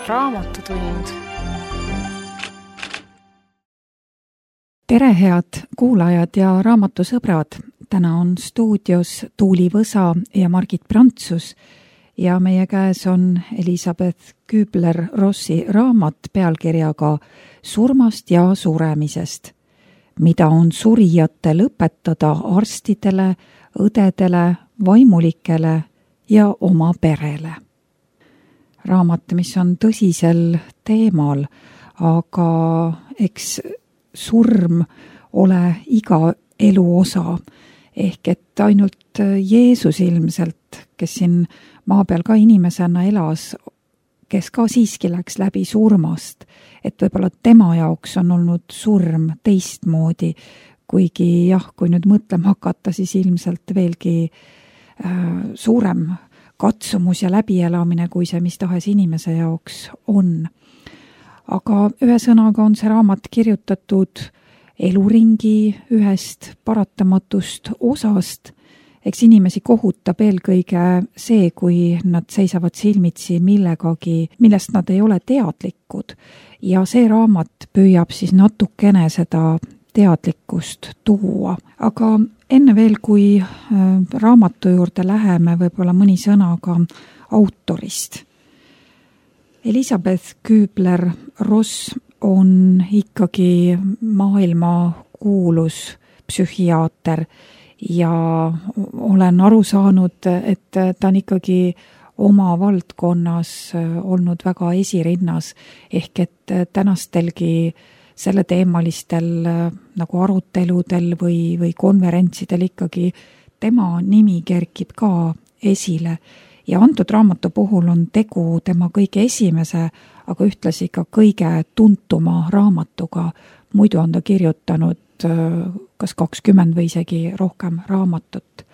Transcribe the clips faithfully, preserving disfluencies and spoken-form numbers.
Raamatutund. Tere, head kuulajad ja raamatusõbrad! Täna on stuudios Tuuli Võsa ja Margit Prantsus ja meie käes on Elisabeth Kübler-Rossi raamat pealkirjaga Surmast ja suremisest, mida on surijatel õpetada arstidele, õdedele, vaimulikele ja oma perele. Raamat, mis on tõsisel teemal, aga eks surm ole iga elu osa, ehk et ainult Jeesus ilmselt, kes siin maa peal ka inimesena elas, kes ka siiski läks läbi surmast, et võib-olla tema jaoks on olnud surm teistmoodi, kuigi jah, kui nüüd mõtlema hakata, siis ilmselt veelgi äh, suurem katsumus ja läbielamine, kui see mis tahes inimese jaoks on. Aga ühe sõnaga on see raamat kirjutatud eluringi ühest paratamatust osast. Eks inimesi kohutab eelkõige see, kui nad seisavad silmitsi millegagi, millest nad ei ole teadlikud. Ja see raamat püüab siis natukene seda teadlikkust tuua. Aga enne veel, kui raamatu juurde läheme, võib-olla mõni sõna ka autorist. Elisabeth Kübler-Ross on ikkagi maailma kuulus psühhiaater ja olen aru saanud, et ta on ikkagi oma valdkonnas olnud väga esirinnas, ehk et tänastelgi selle teemalistel nagu aruteludel või, või konverentsidel ikkagi tema nimi kerkib ka esile. Ja antud raamatu puhul on tegu tema kõige esimese, aga ühtlasi ka kõige tuntuma raamatuga. Muidu on ta kirjutanud kas kakskümmend või isegi rohkem raamatut.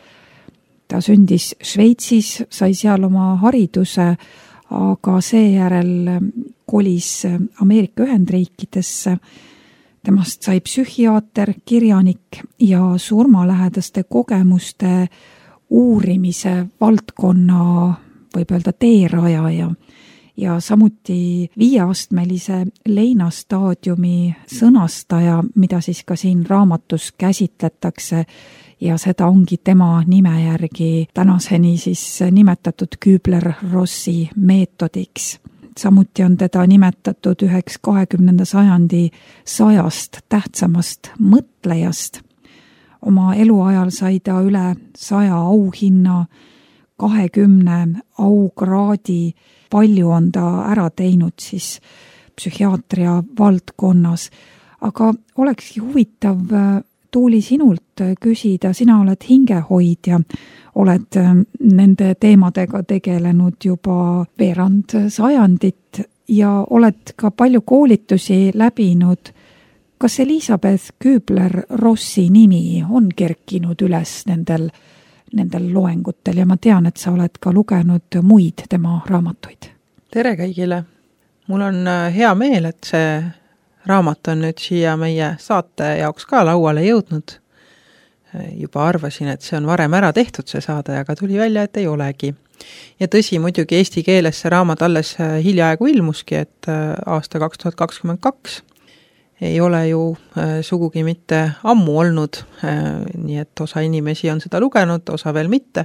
Ta sündis Šveitsis, sai seal oma hariduse, aga seejärel kolis Ameerika Ühendriikidesse. Temast sai psühhiaater, kirjanik ja surmalähedaste kogemuste uurimise valdkonna, võib öelda teerajaja ja samuti viieastmelise leinastaadiumi sõnastaja, mida siis ka siin raamatus käsitletakse ja seda ongi tema nime järgi tänaseni siis nimetatud Kübler-Rossi meetodiks. Samuti on teda nimetatud üheks kahekümnenda sajandi sajast tähtsamast mõtlejast. Oma eluajal sai ta üle saja auhinna, kahekümne aukraadi, palju on ta ära teinud siis psühhiaatria valdkonnas. Aga olekski huvitav, Tuuli, sinult küsida, sina oled hingehoidja, oled nende teemadega tegelenud juba veerand sajandit ja oled ka palju koolitusi läbinud. Kas Elisabeth Kübler-Rossi nimi on kerkinud üles nendel, nendel loengutel ja ma tean, et sa oled ka lugenud muid tema raamatuid? Tere kõigile! Mul on hea meel, et see raamat on nüüd siia meie saate jaoks ka lauale jõudnud. Juba arvasin, et see on varem ära tehtud see saade, aga tuli välja, et ei olegi. Ja tõsi, muidugi eesti keeles see raamat alles hiljaaegu ilmuski, et aasta kaks tuhat kakskümmend kaks ei ole ju sugugi mitte ammu olnud, nii et osa inimesi on seda lugenud, osa veel mitte.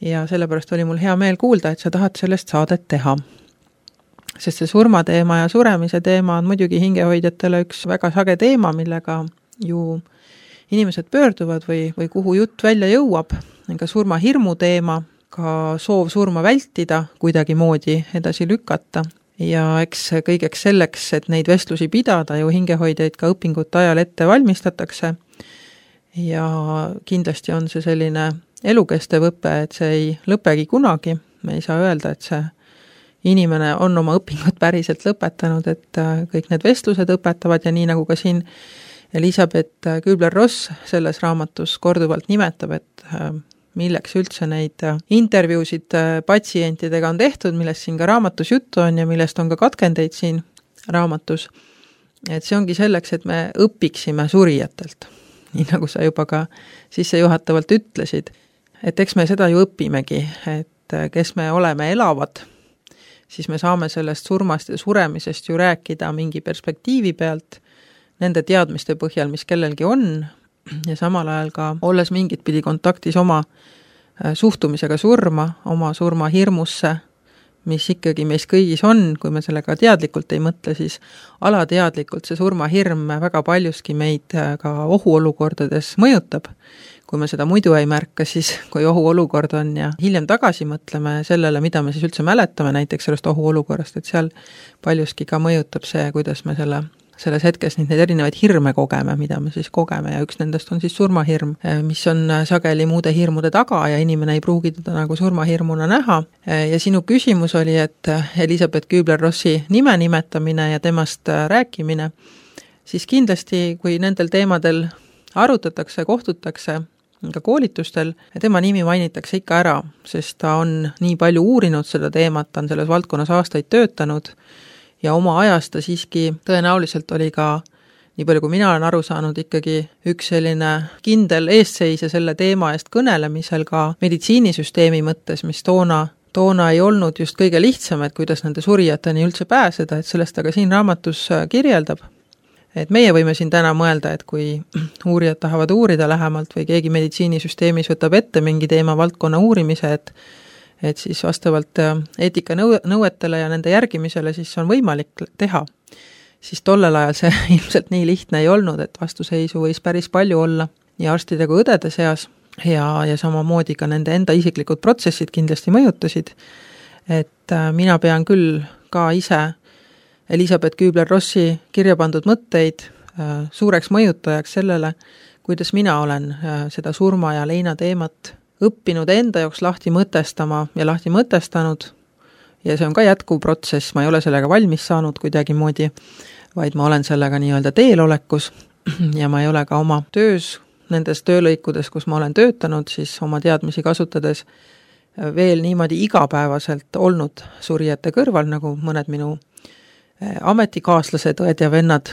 Ja sellepärast oli mul hea meel kuulda, et sa tahad sellest saadet teha. Sest see surmateema ja suremise teema on muidugi hingehoidjatele üks väga sage teema, millega ju inimesed pöörduvad või, või kuhu jutt välja jõuab. Ka surmahirmu teema, ka soov surma vältida, kuidagi moodi edasi lükata. Ja eks kõigeks selleks, et neid vestlusi pidada, ju hingehoidjaid ka õpingute ajal ette valmistatakse. Ja kindlasti on see selline elukestev õpe, et see ei lõpegi kunagi. Me ei saa öelda, et see inimene on oma õpingut päriselt lõpetanud, et kõik need vestlused õpetavad ja nii nagu ka siin Elisabeth Kübler-Ross selles raamatus korduvalt nimetab, et milleks üldse neid intervjuusid patsientidega on tehtud, millest siin ka raamatus juttu on ja millest on ka katkendeid siin raamatus. Et see ongi selleks, et me õpiksime surijatelt, nii nagu sa juba ka sissejuhatavalt ütlesid. Et eks me seda ju õpimegi, et kes me oleme elavad, siis me saame sellest surmast ja suremisest ju rääkida mingi perspektiivi pealt, nende teadmiste põhjal, mis kellelgi on, ja samal ajal ka olles mingit pidi kontaktis oma suhtumisega surma, oma surma hirmusse, mis ikkagi meis kõigis on, kui me sellega teadlikult ei mõtle, siis alateadlikult see surmahirm väga paljuski meid ka ohuolukordades mõjutab. Kui me seda muidu ei märka, siis kui ohuolukord on ja hiljem tagasi mõtleme sellele, mida me siis üldse mäletame näiteks sellest ohuolukorrast, et seal paljuski ka mõjutab see, kuidas me selle selles hetkes neid erinevaid hirme kogeme, mida me siis kogeme ja üks nendest on siis surmahirm, mis on sageli muude hirmude taga ja inimene ei pruugi teda nagu surmahirmuna näha. Ja sinu küsimus oli, et Elisabeth Kübler-Rossi nime nimetamine ja temast rääkimine, siis kindlasti, kui nendel teemadel arutatakse, kohtutakse ka koolitustel, tema nimi mainitakse ikka ära, sest ta on nii palju uurinud seda teemat, ta on selles valdkonnas aastaid töötanud, ja oma ajast ta siiski tõenäoliselt oli ka, nii palju kui mina olen aru saanud, ikkagi üks selline kindel eesseisja selle teema eest kõnelemisel ka meditsiinisüsteemi mõttes, mis toona, toona ei olnud just kõige lihtsam, et kuidas nende surijateni üldse pääseda, et sellest ta ka siin raamatus kirjeldab. Et meie võime siin täna mõelda, et kui uurijad tahavad uurida lähemalt või keegi meditsiinisüsteemis võtab ette mingi teema valdkonna uurimise, et et siis vastavalt eetika nõuetele ja nende järgimisele siis on võimalik teha. Siis tollel ajal see ilmselt nii lihtne ei olnud, et vastuseisu võis päris palju olla nii arstide kui õdede seas ja, ja samamoodi ka nende enda isiklikud protsessid kindlasti mõjutasid. Et mina pean küll ka ise Elisabeth Kübler-Rossi kirja pandud mõtteid suureks mõjutajaks sellele, kuidas mina olen seda surma ja leina teemat õppinud enda jaoks lahti mõtestama ja lahti mõtestanud ja see on ka jätkuv protsess, ma ei ole sellega valmis saanud kuidagi moodi, vaid ma olen sellega nii-öelda teelolekus ja ma ei ole ka oma töös, nendes töölõikudes, kus ma olen töötanud, siis oma teadmisi kasutades veel niimoodi igapäevaselt olnud surijate kõrval, nagu mõned minu ametikaaslased, õed ja vennad,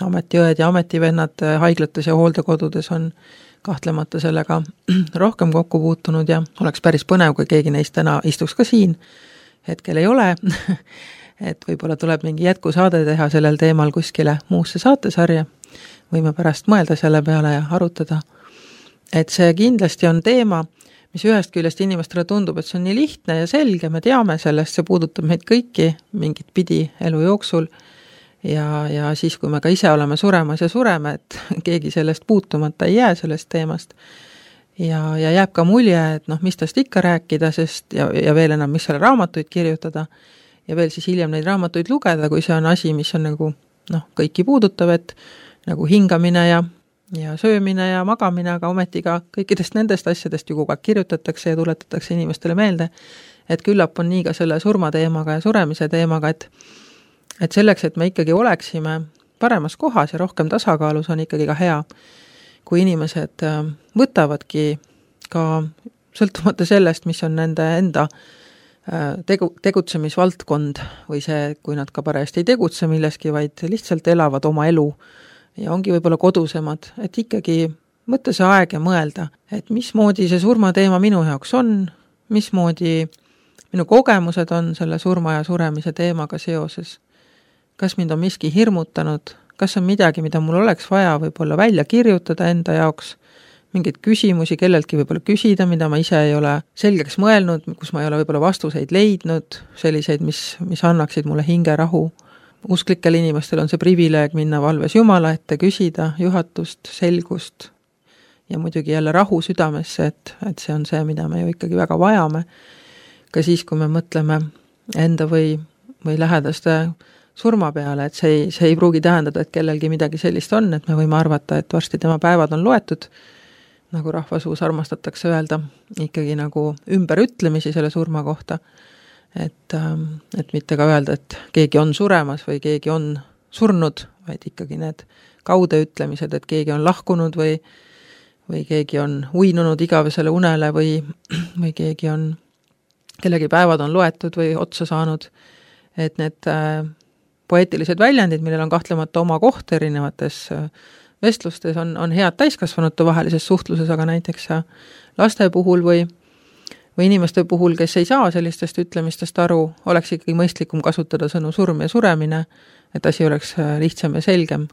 ametiõed ja ametivennad haiglates ja hooldekodudes on kahtlemata sellega rohkem kokku puutunud ja oleks päris põnev, kui keegi neist täna istuks ka siin. Hetkel ei ole, et võib-olla tuleb mingi jätkusaade teha sellel teemal kuskile muusse saatesarja. Võime pärast mõelda selle peale ja arutada. Et see kindlasti on teema, mis ühest küljest inimestele tundub, et see on nii lihtne ja selge, me teame sellest, see puudutab meid kõiki mingit pidi elu jooksul. Ja, ja siis, kui me ka ise oleme suremas ja sureme, et keegi sellest puutumata ei jää sellest teemast. Ja, ja jääb ka mulje, et noh, mis tast ikka rääkida, sest ja, ja veel enam, mis selle raamatuid kirjutada ja veel siis hiljem neid raamatuid lugeda, kui see on asi, mis on nagu noh, kõiki puudutav, et nagu hingamine ja, ja söömine ja magamine, aga ometi ka kõikidest nendest asjadest ju kogu aeg kirjutatakse ja tuletatakse inimestele meelde, et küllap on nii ka selle surmateemaga ja suremise teemaga, et Et selleks, et me ikkagi oleksime paremas kohas ja rohkem tasakaalus, on ikkagi ka hea, kui inimesed võtavadki ka sõltumata sellest, mis on nende enda tegu, tegutsemisvaldkond või see, kui nad ka parajasti ei tegutse milleski, vaid lihtsalt elavad oma elu ja ongi võib-olla kodusemad, et ikkagi võtta see aeg ja mõelda, et mismoodi see surmateema minu jaoks on, mismoodi minu kogemused on selle surma ja suremise teemaga seoses. Kas mind on miski hirmutanud, kas on midagi, mida mul oleks vaja võib-olla välja kirjutada enda jaoks, mingeid küsimusi kelleltki võib-olla küsida, mida ma ise ei ole selgeks mõelnud, kus ma ei ole võib-olla vastuseid leidnud, selliseid, mis, mis annaksid mulle hingerahu. Usklikel inimestel on see privileeg minna valves Jumala ette, küsida juhatust, selgust ja muidugi jälle rahu südamesse, et, et see on see, mida me ju ikkagi väga vajame. Ka siis, kui me mõtleme enda või, või lähedaste surma peale, et see ei, see ei pruugi tähendada, et kellelgi midagi sellist on, et me võime arvata, et varsti tema päevad on loetud, nagu rahvasuus armastatakse öelda, ikkagi nagu ümberütlemisi selle surma kohta, et, et mitte ka öelda, et keegi on suremas või keegi on surnud, vaid ikkagi need kaudeütlemised, et keegi on lahkunud või, või keegi on uinunud igavesele unele või, või keegi on, kellegi päevad on loetud või otsa saanud, et need poeetilised väljendid, millel on kahtlemata oma koht erinevates vestlustes, on, on head täiskasvanute vahelises suhtluses, aga näiteks laste puhul või, või inimeste puhul, kes ei saa sellistest ütlemistest aru, oleks ikkagi mõistlikum kasutada sõnu surm ja suremine, et asi oleks lihtsam ja selgem,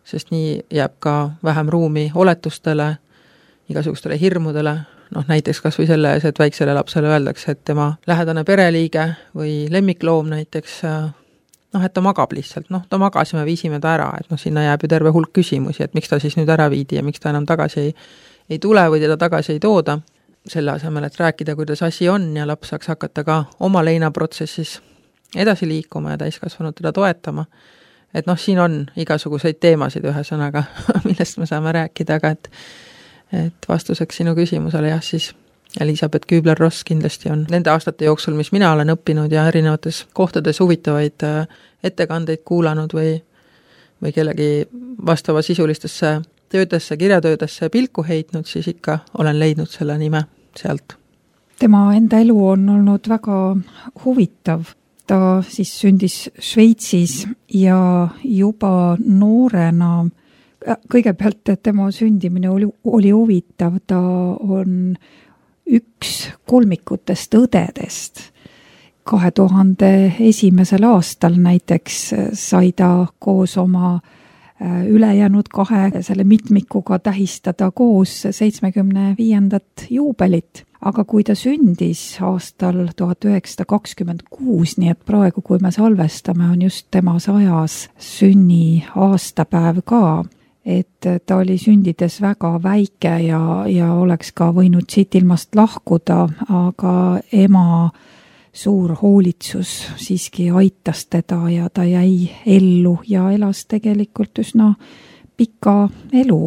sest nii jääb ka vähem ruumi oletustele, igasugustele hirmudele, noh näiteks kas või selle ees, et väiksele lapsele öeldakse, et tema lähedane pereliige või lemmikloom näiteks, noh, et ta magab lihtsalt, noh, ta magas ja me viisime ta ära, et noh, sinna jääb ju terve hulk küsimusi, et miks ta siis nüüd ära viidi ja miks ta enam tagasi ei, ei tule või teda tagasi ei tooda. Selle asemel, et rääkida, kuidas asi on ja laps saaks hakata ka oma leinaprotsessis edasi liikuma ja täiskasvanud teda toetama. Et noh, siin on igasuguseid teemasid ühesõnaga, millest me saame rääkida, aga et, et vastuseks sinu küsimusele jah, siis Elisabeth Kübler-Ross kindlasti on nende aastate jooksul, mis mina olen õppinud ja erinevates kohtades huvitavaid ettekandeid kuulanud või, või kellegi vastava sisulistesse töödesse, kirjatöödesse pilku heitnud, siis ikka olen leidnud selle nime sealt. Tema enda elu on olnud väga huvitav. Ta siis sündis Šveitsis ja juba noorena, kõigepealt tema sündimine oli, oli huvitav, ta on üks kolmikutest õdedest. kahe tuhande esimesel aastal näiteks sai ta koos oma ülejäänud kahe selle mitmikuga tähistada koos seitsmekümne viiendat juubelit. Aga kui ta sündis aastal tuhat üheksasada kakskümmend kuus, nii et praegu, kui me salvestame, on just tema sajas sünni aastapäev ka, et ta oli sündides väga väike ja, ja oleks ka võinud siit ilmast lahkuda, aga ema suur hoolitsus siiski aitas teda ja ta jäi ellu ja elas tegelikult üsna pika elu.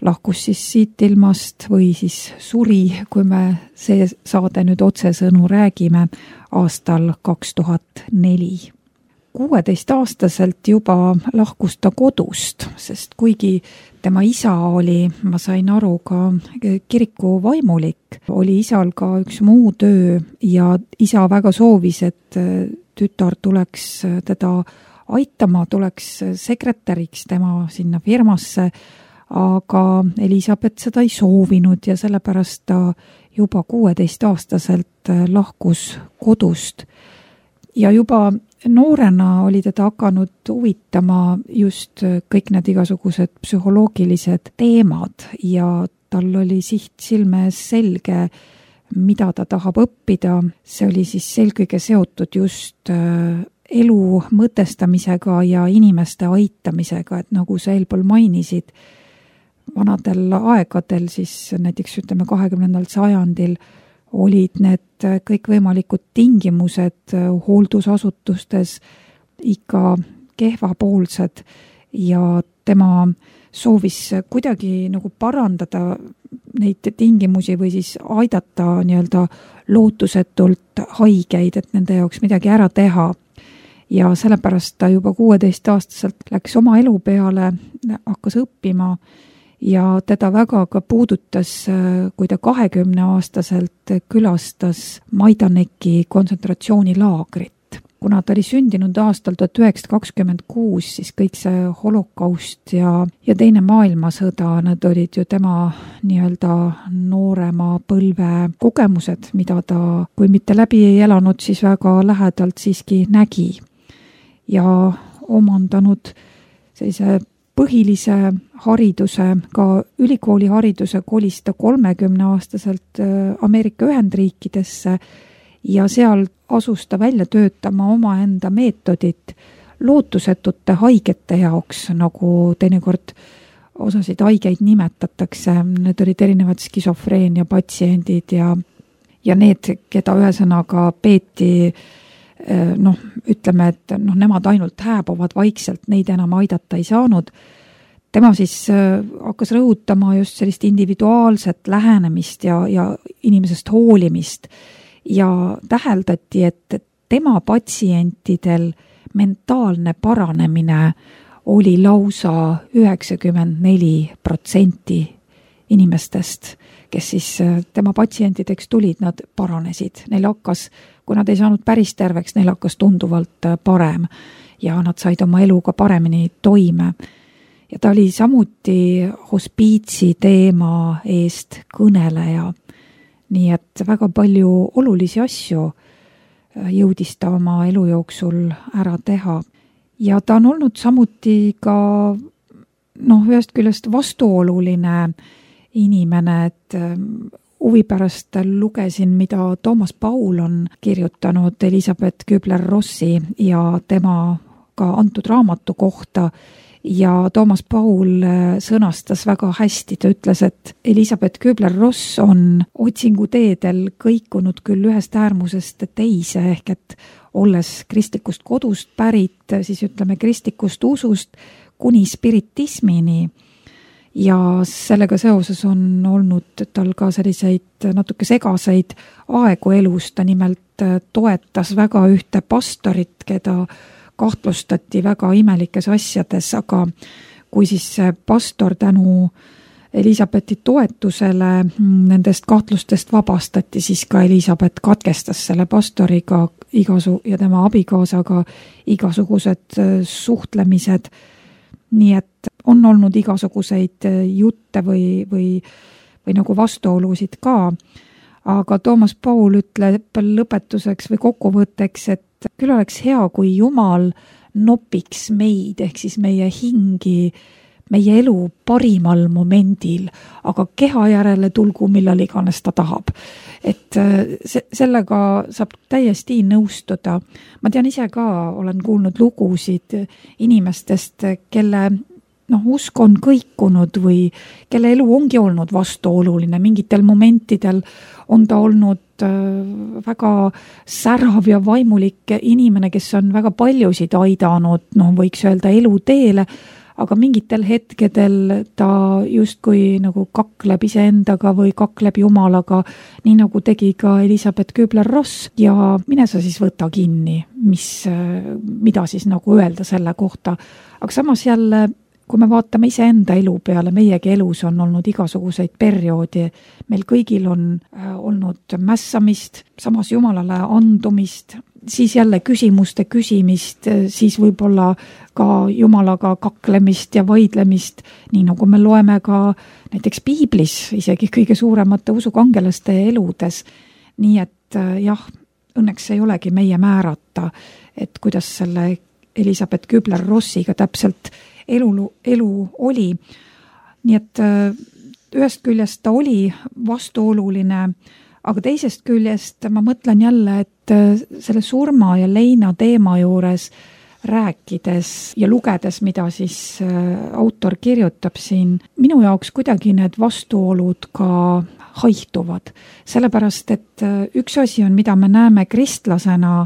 Lahkus siis siit ilmast või siis suri, kui me see saade nüüd otsesõnu räägime, aastal kaks tuhat neli. kuueteistaastaselt juba lahkus ta kodust, sest kuigi tema isa oli, ma sain aru, ka kiriku vaimulik, oli isal ka üks muu töö ja isa väga soovis, et tütar tuleks teda aitama, tuleks sekretäriks tema sinna firmasse, aga Elisabeth seda ei soovinud ja sellepärast ta juba kuueteistaastaselt lahkus kodust. Ja juba noorena oli teda hakanud huvitama just kõik need igasugused psühholoogilised teemad ja tal oli siht silme ees selge, mida ta tahab õppida. See oli siis selgõige seotud just elu mõtestamisega ja inimeste aitamisega, et nagu sa eelpool mainisid, vanadel aegadel siis näiteks ütleme kahekümnendal sajandil olid need kõikvõimalikud tingimused hooldusasutustes ikka kehvapoolsed ja tema soovis kuidagi nagu parandada neid tingimusi või siis aidata nii-öelda lootusetult haigeid, et nende jaoks midagi ära teha. Ja sellepärast ta juba kuueteistaastaselt läks oma elu peale, hakkas õppima ja teda väga ka puudutas, kui ta kahekümne aastaselt külastas Majdaneki kontsentratsioonilaagrit. Kuna ta oli sündinud aastal tuhat üheksasada kakskümmend kuus, siis kõik see holokaust ja, ja teine maailmasõda, need olid ju tema nii-öelda noorema põlve kogemused, mida ta, kui mitte läbi ei elanud, siis väga lähedalt siiski nägi ja omandanud sellise põhilise hariduse, ka ülikooli hariduse kolis ta kolmekümne aastaselt Ameerika Ühendriikidesse ja seal asus ta välja töötama omaenda meetodit lootusetute haigete jaoks, nagu teinekord osasid haigeid nimetatakse. Need olid erinevad skisofreenia patsiendid ja, ja need, keda ühesõnaga peeti noh, ütleme, et noh, nemad ainult hääbuvad vaikselt, neid enam aidata ei saanud. Tema siis hakkas rõhutama just sellist individuaalset lähenemist ja, ja inimesest hoolimist ja täheldati, et tema patsientidel mentaalne paranemine oli lausa üheksakümmend neli protsenti inimestest, kes siis tema patsientideks tulid, nad paranesid. Neil hakkas, kui nad ei saanud päris terveks, neil hakkas tunduvalt parem ja nad said oma eluga paremini toime. Ja ta oli samuti hospiitsi teema eest kõneleja. nii et väga palju olulisi asju jõudis ta oma elu jooksul ära teha. Ja ta on olnud samuti ka noh, ühest küljest vastuoluline inimene, et huvi pärast lugesin, mida Toomas Paul on kirjutanud Elisabeth Kübler-Rossi ja tema ka antud raamatu kohta. Ja Toomas Paul sõnastas väga hästi, ta ütles, et Elisabeth Kübler-Ross on otsinguteedel kõikunud küll ühest äärmusest teise, ehk et olles kristlikust kodust pärit, siis ütleme kristlikust usust kuni spiritismini. Ja sellega seoses on olnud tal ka selliseid natuke segaseid aegu elus, ta nimelt toetas väga ühte pastorit, keda kahtlustati väga imelikes asjades, aga kui siis pastor tänu Elisabethi toetusele nendest kahtlustest vabastati, siis ka Elisabeth katkestas selle pastoriga igasu ja tema abikaasaga igasugused suhtlemised. Nii et on olnud igasuguseid jutte või, või, või nagu vastuolusid ka, aga Toomas Paul ütleb lõpetuseks või kokkuvõtteks, et küll oleks hea, kui Jumal nopiks meid, ehk siis meie hingi, meie elu parimal momendil, aga keha järele tulgu millal iganes ta tahab. Et se- sellega saab täiesti nõustuda. Ma tean ise ka, olen kuulnud lugusid inimestest, kelle noh, usk on kõikunud või kelle elu ongi olnud vastuoluline. Mingitel momentidel on ta olnud väga särav ja vaimulik inimene, kes on väga paljusid aidanud, noh, võiks öelda eluteele, aga mingitel hetkedel ta justkui nagu kakleb iseendaga või kakleb Jumalaga, nii nagu tegi ka Elisabeth Kübler-Ross ja mine sa siis võta kinni, mis, mida siis nagu öelda selle kohta. Aga samas jälle, kui me vaatame iseenda elu peale, meiegi elus on olnud igasuguseid perioodi, meil kõigil on olnud mässamist, samas Jumalale andumist, siis jälle küsimuste küsimist, siis võib-olla ka Jumalaga kaklemist ja vaidlemist, nii nagu me loeme ka näiteks Piiblis, isegi kõige suuremate usukangelaste eludes. Nii et jah, õnneks ei olegi meie määrata, et kuidas selle Elisabeth Kübler-Rossiga täpselt elu, elu oli. Nii et ühest küljest ta oli vastuoluline, aga teisest küljest ma mõtlen jälle, et selle surma ja leina teema juures rääkides ja lugedes, mida siis autor kirjutab siin, minu jaoks kuidagi need vastuolud ka haihtuvad. Sellepärast, et üks asi on, mida me näeme kristlasena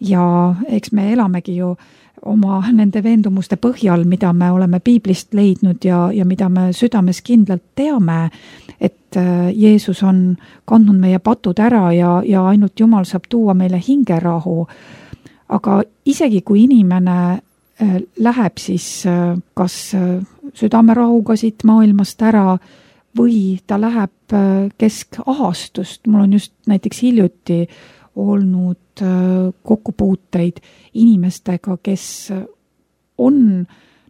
ja eks me elamegi ju oma nende veendumuste põhjal, mida me oleme Piiblist leidnud ja, ja mida me südames kindlalt teame, et Jeesus on kandnud meie patud ära ja, ja ainult Jumal saab tuua meile hingerahu. Aga isegi kui inimene läheb siis kas südamerahuga siit maailmast ära või ta läheb keskahastust, mul on just näiteks hiljuti olnud kokkupuuteid inimestega, kes on,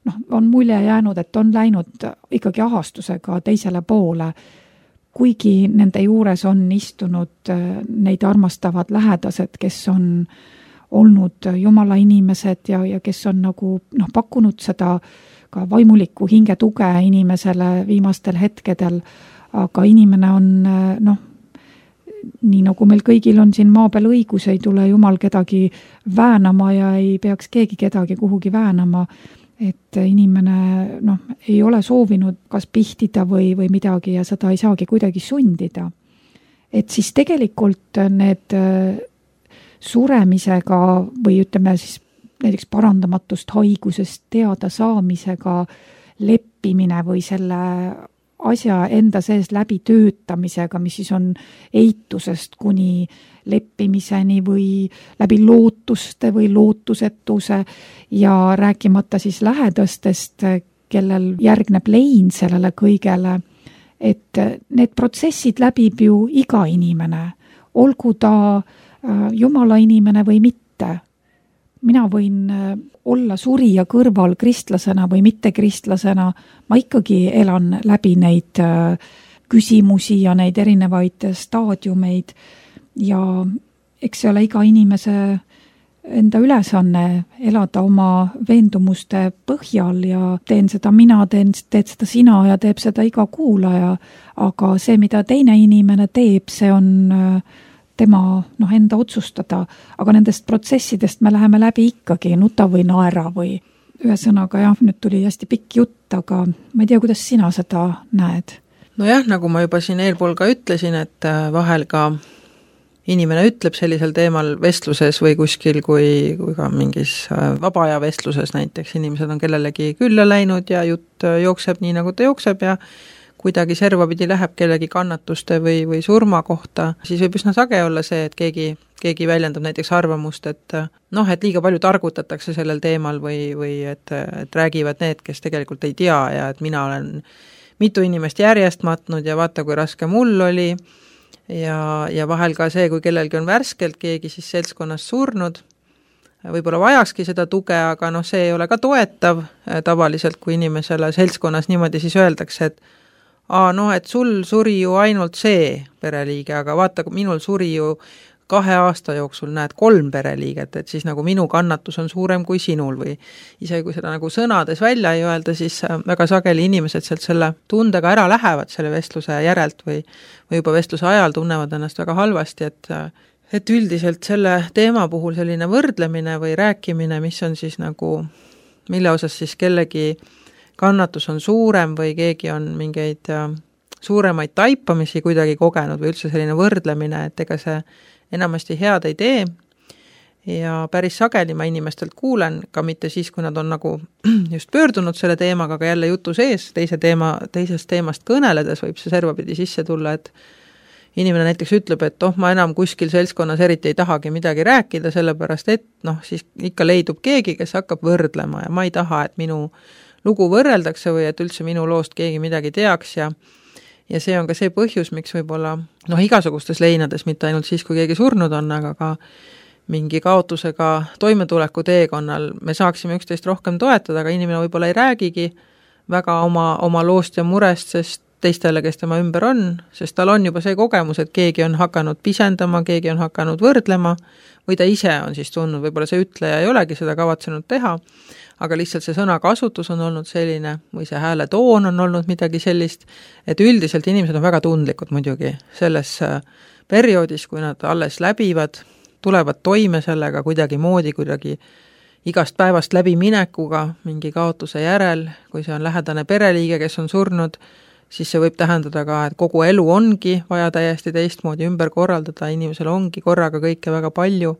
noh, on mulje jäänud, et on läinud ikkagi ahastusega teisele poole, kuigi nende juures on istunud neid armastavad lähedased, kes on olnud Jumala inimesed ja, ja kes on nagu noh, pakkunud seda ka vaimulikku hingetuge inimesele viimastel hetkedel, aga inimene on noh, nii nagu meil kõigil on siin maa peal õigus, ei tule Jumal kedagi väänama ja ei peaks keegi kedagi kuhugi väänama, et inimene noh, ei ole soovinud kas pihtida või, või midagi ja seda ei saagi kuidagi sundida. Et siis tegelikult need suremisega või ütleme siis näiteks parandamatust haigusest teada saamisega leppimine või selle asja enda sees läbi töötamisega, mis siis on eitusest kuni leppimiseni või läbi lootuste või lootusetuse ja rääkimata siis lähedastest, kellel järgneb lein sellele kõigele, et need protsessid läbib ju iga inimene, olgu ta Jumala inimene või mitte. Mina võin olla surija kõrval kristlasena või mitte kristlasena, ma ikkagi elan läbi neid küsimusi ja neid erinevaid staadiumeid ja eks see ole iga inimese enda ülesanne elada oma veendumuste põhjal ja teen seda mina, teen, teed seda sina ja teeb seda iga kuulaja, aga see, mida teine inimene teeb, see on tema noh, enda otsustada, aga nendest protsessidest me läheme läbi ikkagi nuta või naera või ühesõnaga jah, nüüd tuli hästi pikk jutt, aga ma ei tea, kuidas sina seda näed? Nojah, nagu ma juba siin eelpool ka ütlesin, et vahel ka inimene ütleb sellisel teemal vestluses või kuskil, kui, kui ka mingis vaba aja vestluses näiteks inimesed on kellelegi külla läinud ja jutt jookseb nii, nagu ta jookseb ja kuidagi servapidi läheb kellegi kannatuste või, või surma kohta, siis võib üsna sage olla see, et keegi, keegi väljendab näiteks arvamust, et noh, et liiga palju targutatakse sellel teemal või, või et, et räägivad need, kes tegelikult ei tea ja et mina olen mitu inimest järjest matnud ja vaata, kui raske mul oli ja, ja vahel ka see, kui kellelgi on värskelt keegi siis seltskonnas surnud, võib-olla vajakski seda tuge, aga noh, see ei ole ka toetav tavaliselt, kui inimesele seltskonnas niimoodi siis öeldakse, et aa, noh, et sul suri ju ainult see pereliige, aga vaata, minul suri ju kahe aasta jooksul näed kolm pereliiget, et siis nagu minu kannatus on suurem kui sinul või isegi kui seda nagu sõnades välja ei öelda, siis väga sageli inimesed sealt selle tundega ära lähevad selle vestluse järelt või, või juba vestluse ajal tunnevad ennast väga halvasti, et, et üldiselt selle teema puhul selline võrdlemine või rääkimine, mis on siis nagu, mille osas siis kellegi kannatus on suurem või keegi on mingeid suuremaid taipamisi kuidagi kogenud või üldse selline võrdlemine, et ega see enamasti head ei tee ja päris sageli ma inimestelt kuulen, ka mitte siis, kui nad on nagu just pöördunud selle teemaga, aga jälle jutu sees, teise teema, teisest teemast kõneledes võib see servapidi sisse tulla, et inimene näiteks ütleb, et oh, ma enam kuskil seltskonnas eriti ei tahagi midagi rääkida, sellepärast et noh, siis ikka leidub keegi, kes hakkab võrdlema ja ma ei taha, et minu lugu võrreldakse või et üldse minu loost keegi midagi teaks ja ja see on ka see põhjus, miks võib-olla noh, igasugustes leinades, mitte ainult siis, kui keegi surnud on, aga ka mingi kaotusega toimetuleku teekonnal me saaksime üksteist rohkem toetada, aga inimene võib-olla ei räägigi väga oma, oma loost ja murest, sest teistele, kes tema ümber on, sest tal on juba see kogemus, et keegi on hakanud pisendama, keegi on hakanud võrdlema või ta ise on siis tundnud, võib-olla see ütleja ei olegi seda kavatsenud teha, aga lihtsalt see sõnakasutus on olnud selline või see hääle toon on olnud midagi sellist, et üldiselt inimesed on väga tundlikud muidugi selles perioodis, kui nad alles läbivad, tulevad toime sellega kuidagi moodi, kuidagi igast päevast läbi minekuga mingi kaotuse järel, kui see on lähedane pereliige, kes on surnud, siis see võib tähendada ka, et kogu elu ongi vaja täiesti teistmoodi ümber korraldada, inimesel ongi korraga kõike väga palju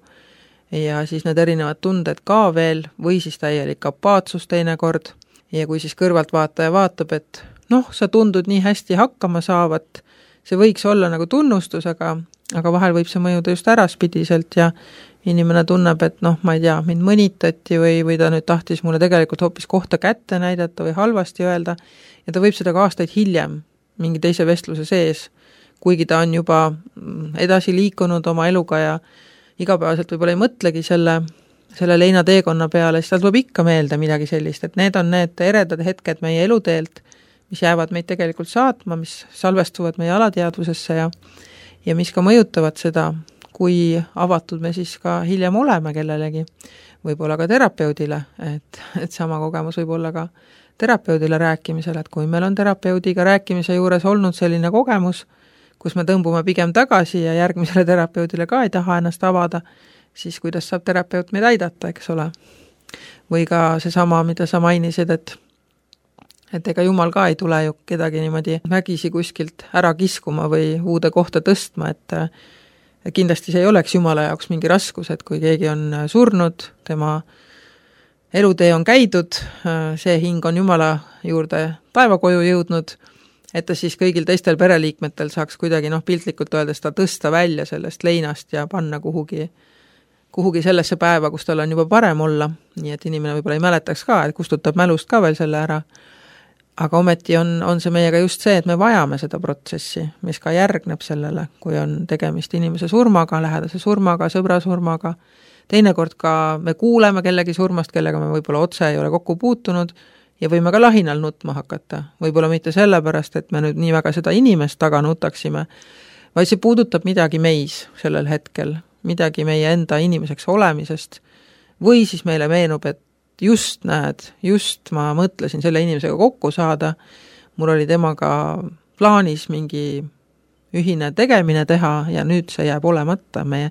ja siis need erinevad tunded ka veel või siis täielik apaatsus teinekord ja kui siis kõrvaltvaataja vaatab, et noh, sa tundud nii hästi hakkama saavat, see võiks olla nagu tunnustus, aga, aga vahel võib see mõjuda just äraspidiselt ja inimene tunneb, et noh, ma ei tea, mind mõnitati või, või ta nüüd tahtis mulle tegelikult hoopis kohta kätte näidata või halvasti öelda ja ta võib seda ka aastaid hiljem mingi teise vestluse sees, kuigi ta on juba edasi liikunud oma eluga ja igapäevaselt võib-olla ei mõtlegi selle, selle leinateekonna peale, siis tal tuleb ikka meelde midagi sellist, et need on need eredad hetked meie eluteelt, mis jäävad meid tegelikult saatma, mis salvestuvad meie alateadvusesse ja, ja mis ka mõjutavad seda, kui avatud me siis ka hiljem oleme kellelegi, võib-olla ka terapeudile, et, et sama kogemus võib olla ka terapeudile rääkimisel, et kui meil on terapeudiga rääkimise juures olnud selline kogemus, kus me tõmbume pigem tagasi ja järgmisele terapeudile ka ei taha ennast avada, siis kuidas saab terapeut meid aidata, eks ole. Või ka seesama, mida sa mainisid, et et ega jumal ka ei tule ju kedagi niimoodi vägisi kuskilt ära kiskuma või uude kohta tõstma, et kindlasti see ei oleks jumala jaoks mingi raskus, et kui keegi on surnud, tema elutee on käidud, see hing on jumala juurde taevakoju jõudnud, et ta siis kõigil teistel pereliikmetel saaks kuidagi noh, piltlikult öeldes ta tõsta välja sellest leinast ja panna kuhugi, kuhugi sellesse päeva, kus tal on juba parem olla, nii et inimene võib-olla ei mäletaks ka, et kustutab mälust ka veel selle ära. Aga ometi on, on see meiega just see, et me vajame seda protsessi, mis ka järgneb sellele, kui on tegemist inimese surmaga, lähedase surmaga, sõbra surmaga. Teinekord ka me kuuleme kellegi surmast, kellega me võib-olla otse ei ole kokku puutunud ja võime ka lahinal nutma hakata. Võib-olla mitte sellepärast, et me nüüd nii väga seda inimest taga nutaksime, vaid see puudutab midagi meis sellel hetkel, midagi meie enda inimeseks olemisest, või siis meile meenub, et just näed, just ma mõtlesin selle inimesega kokku saada, mul oli temaga plaanis mingi ühine tegemine teha ja nüüd see jääb olemata. Me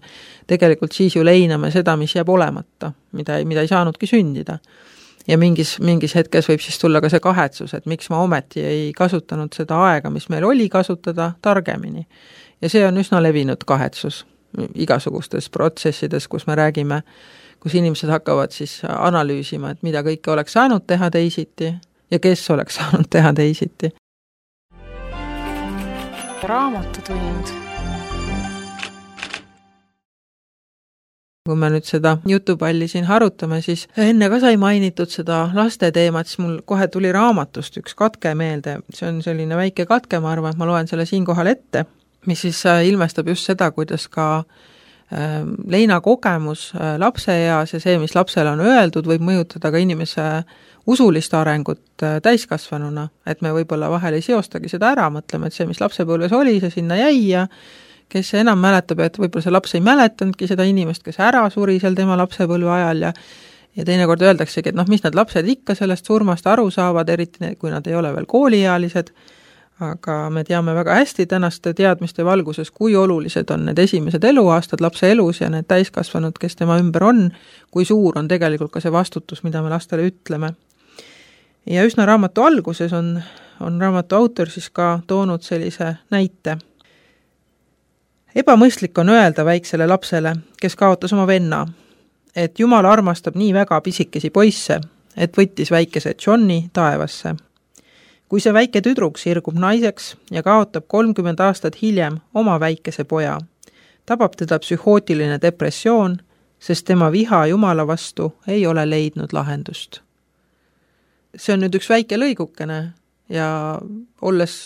tegelikult siis ju leiname seda, mis jääb olemata, mida, mida ei saanudki sündida. Ja mingis, mingis hetkes võib siis tulla ka see kahetsus, et miks ma ometi ei kasutanud seda aega, mis meil oli kasutada targemini. Ja see on üsna levinud kahetsus igasugustes protsessides, kus me räägime, kus inimesed hakkavad siis analüüsima, et mida kõike oleks saanud teha teisiti ja kes oleks saanud teha teisiti. Raamatutund. Kui me nüüd seda jutupalli siin harutame, siis enne ka sai mainitud seda laste teemat, siis mul kohe tuli raamatust üks katke meelde. See on selline väike katke, ma arvan, et ma loen selle siinkohal ette, mis siis ilmestab just seda, kuidas ka leina kogemus lapse eas ja see, mis lapsele on öeldud, võib mõjutada ka inimese usulist arengut täiskasvanuna, et me võib-olla vahel ei seostagi seda ära, mõtleme, et see, mis lapsepõlves oli, see sinna jäi ja kes enam mäletab, et võib-olla see laps ei mäletanudki seda inimest, kes ära suri seal tema lapsepõlve ajal ja ja teinekord öeldaksegi, et noh, mis need lapsed ikka sellest surmast aru saavad, eriti kui nad ei ole veel kooliealised, aga me teame väga hästi tänaste teadmiste valguses, kui olulised on need esimesed eluaastad lapse elus ja need täiskasvanud, kes tema ümber on, kui suur on tegelikult ka see vastutus, mida me lastele ütleme. Ja üsna raamatu alguses on, on raamatu autor siis ka toonud sellise näite. Ebamõistlik on öelda väiksele lapsele, kes kaotas oma venna, et Jumal armastab nii väga pisikesi poisse, et võttis väikese Johni taevasse. Kui see väike tüdruk sirgub naiseks ja kaotab kolmkümmend aastat hiljem oma väikese poja, tabab teda psühhootiline depressioon, sest tema viha Jumala vastu ei ole leidnud lahendust. See on nüüd üks väike lõigukene ja olles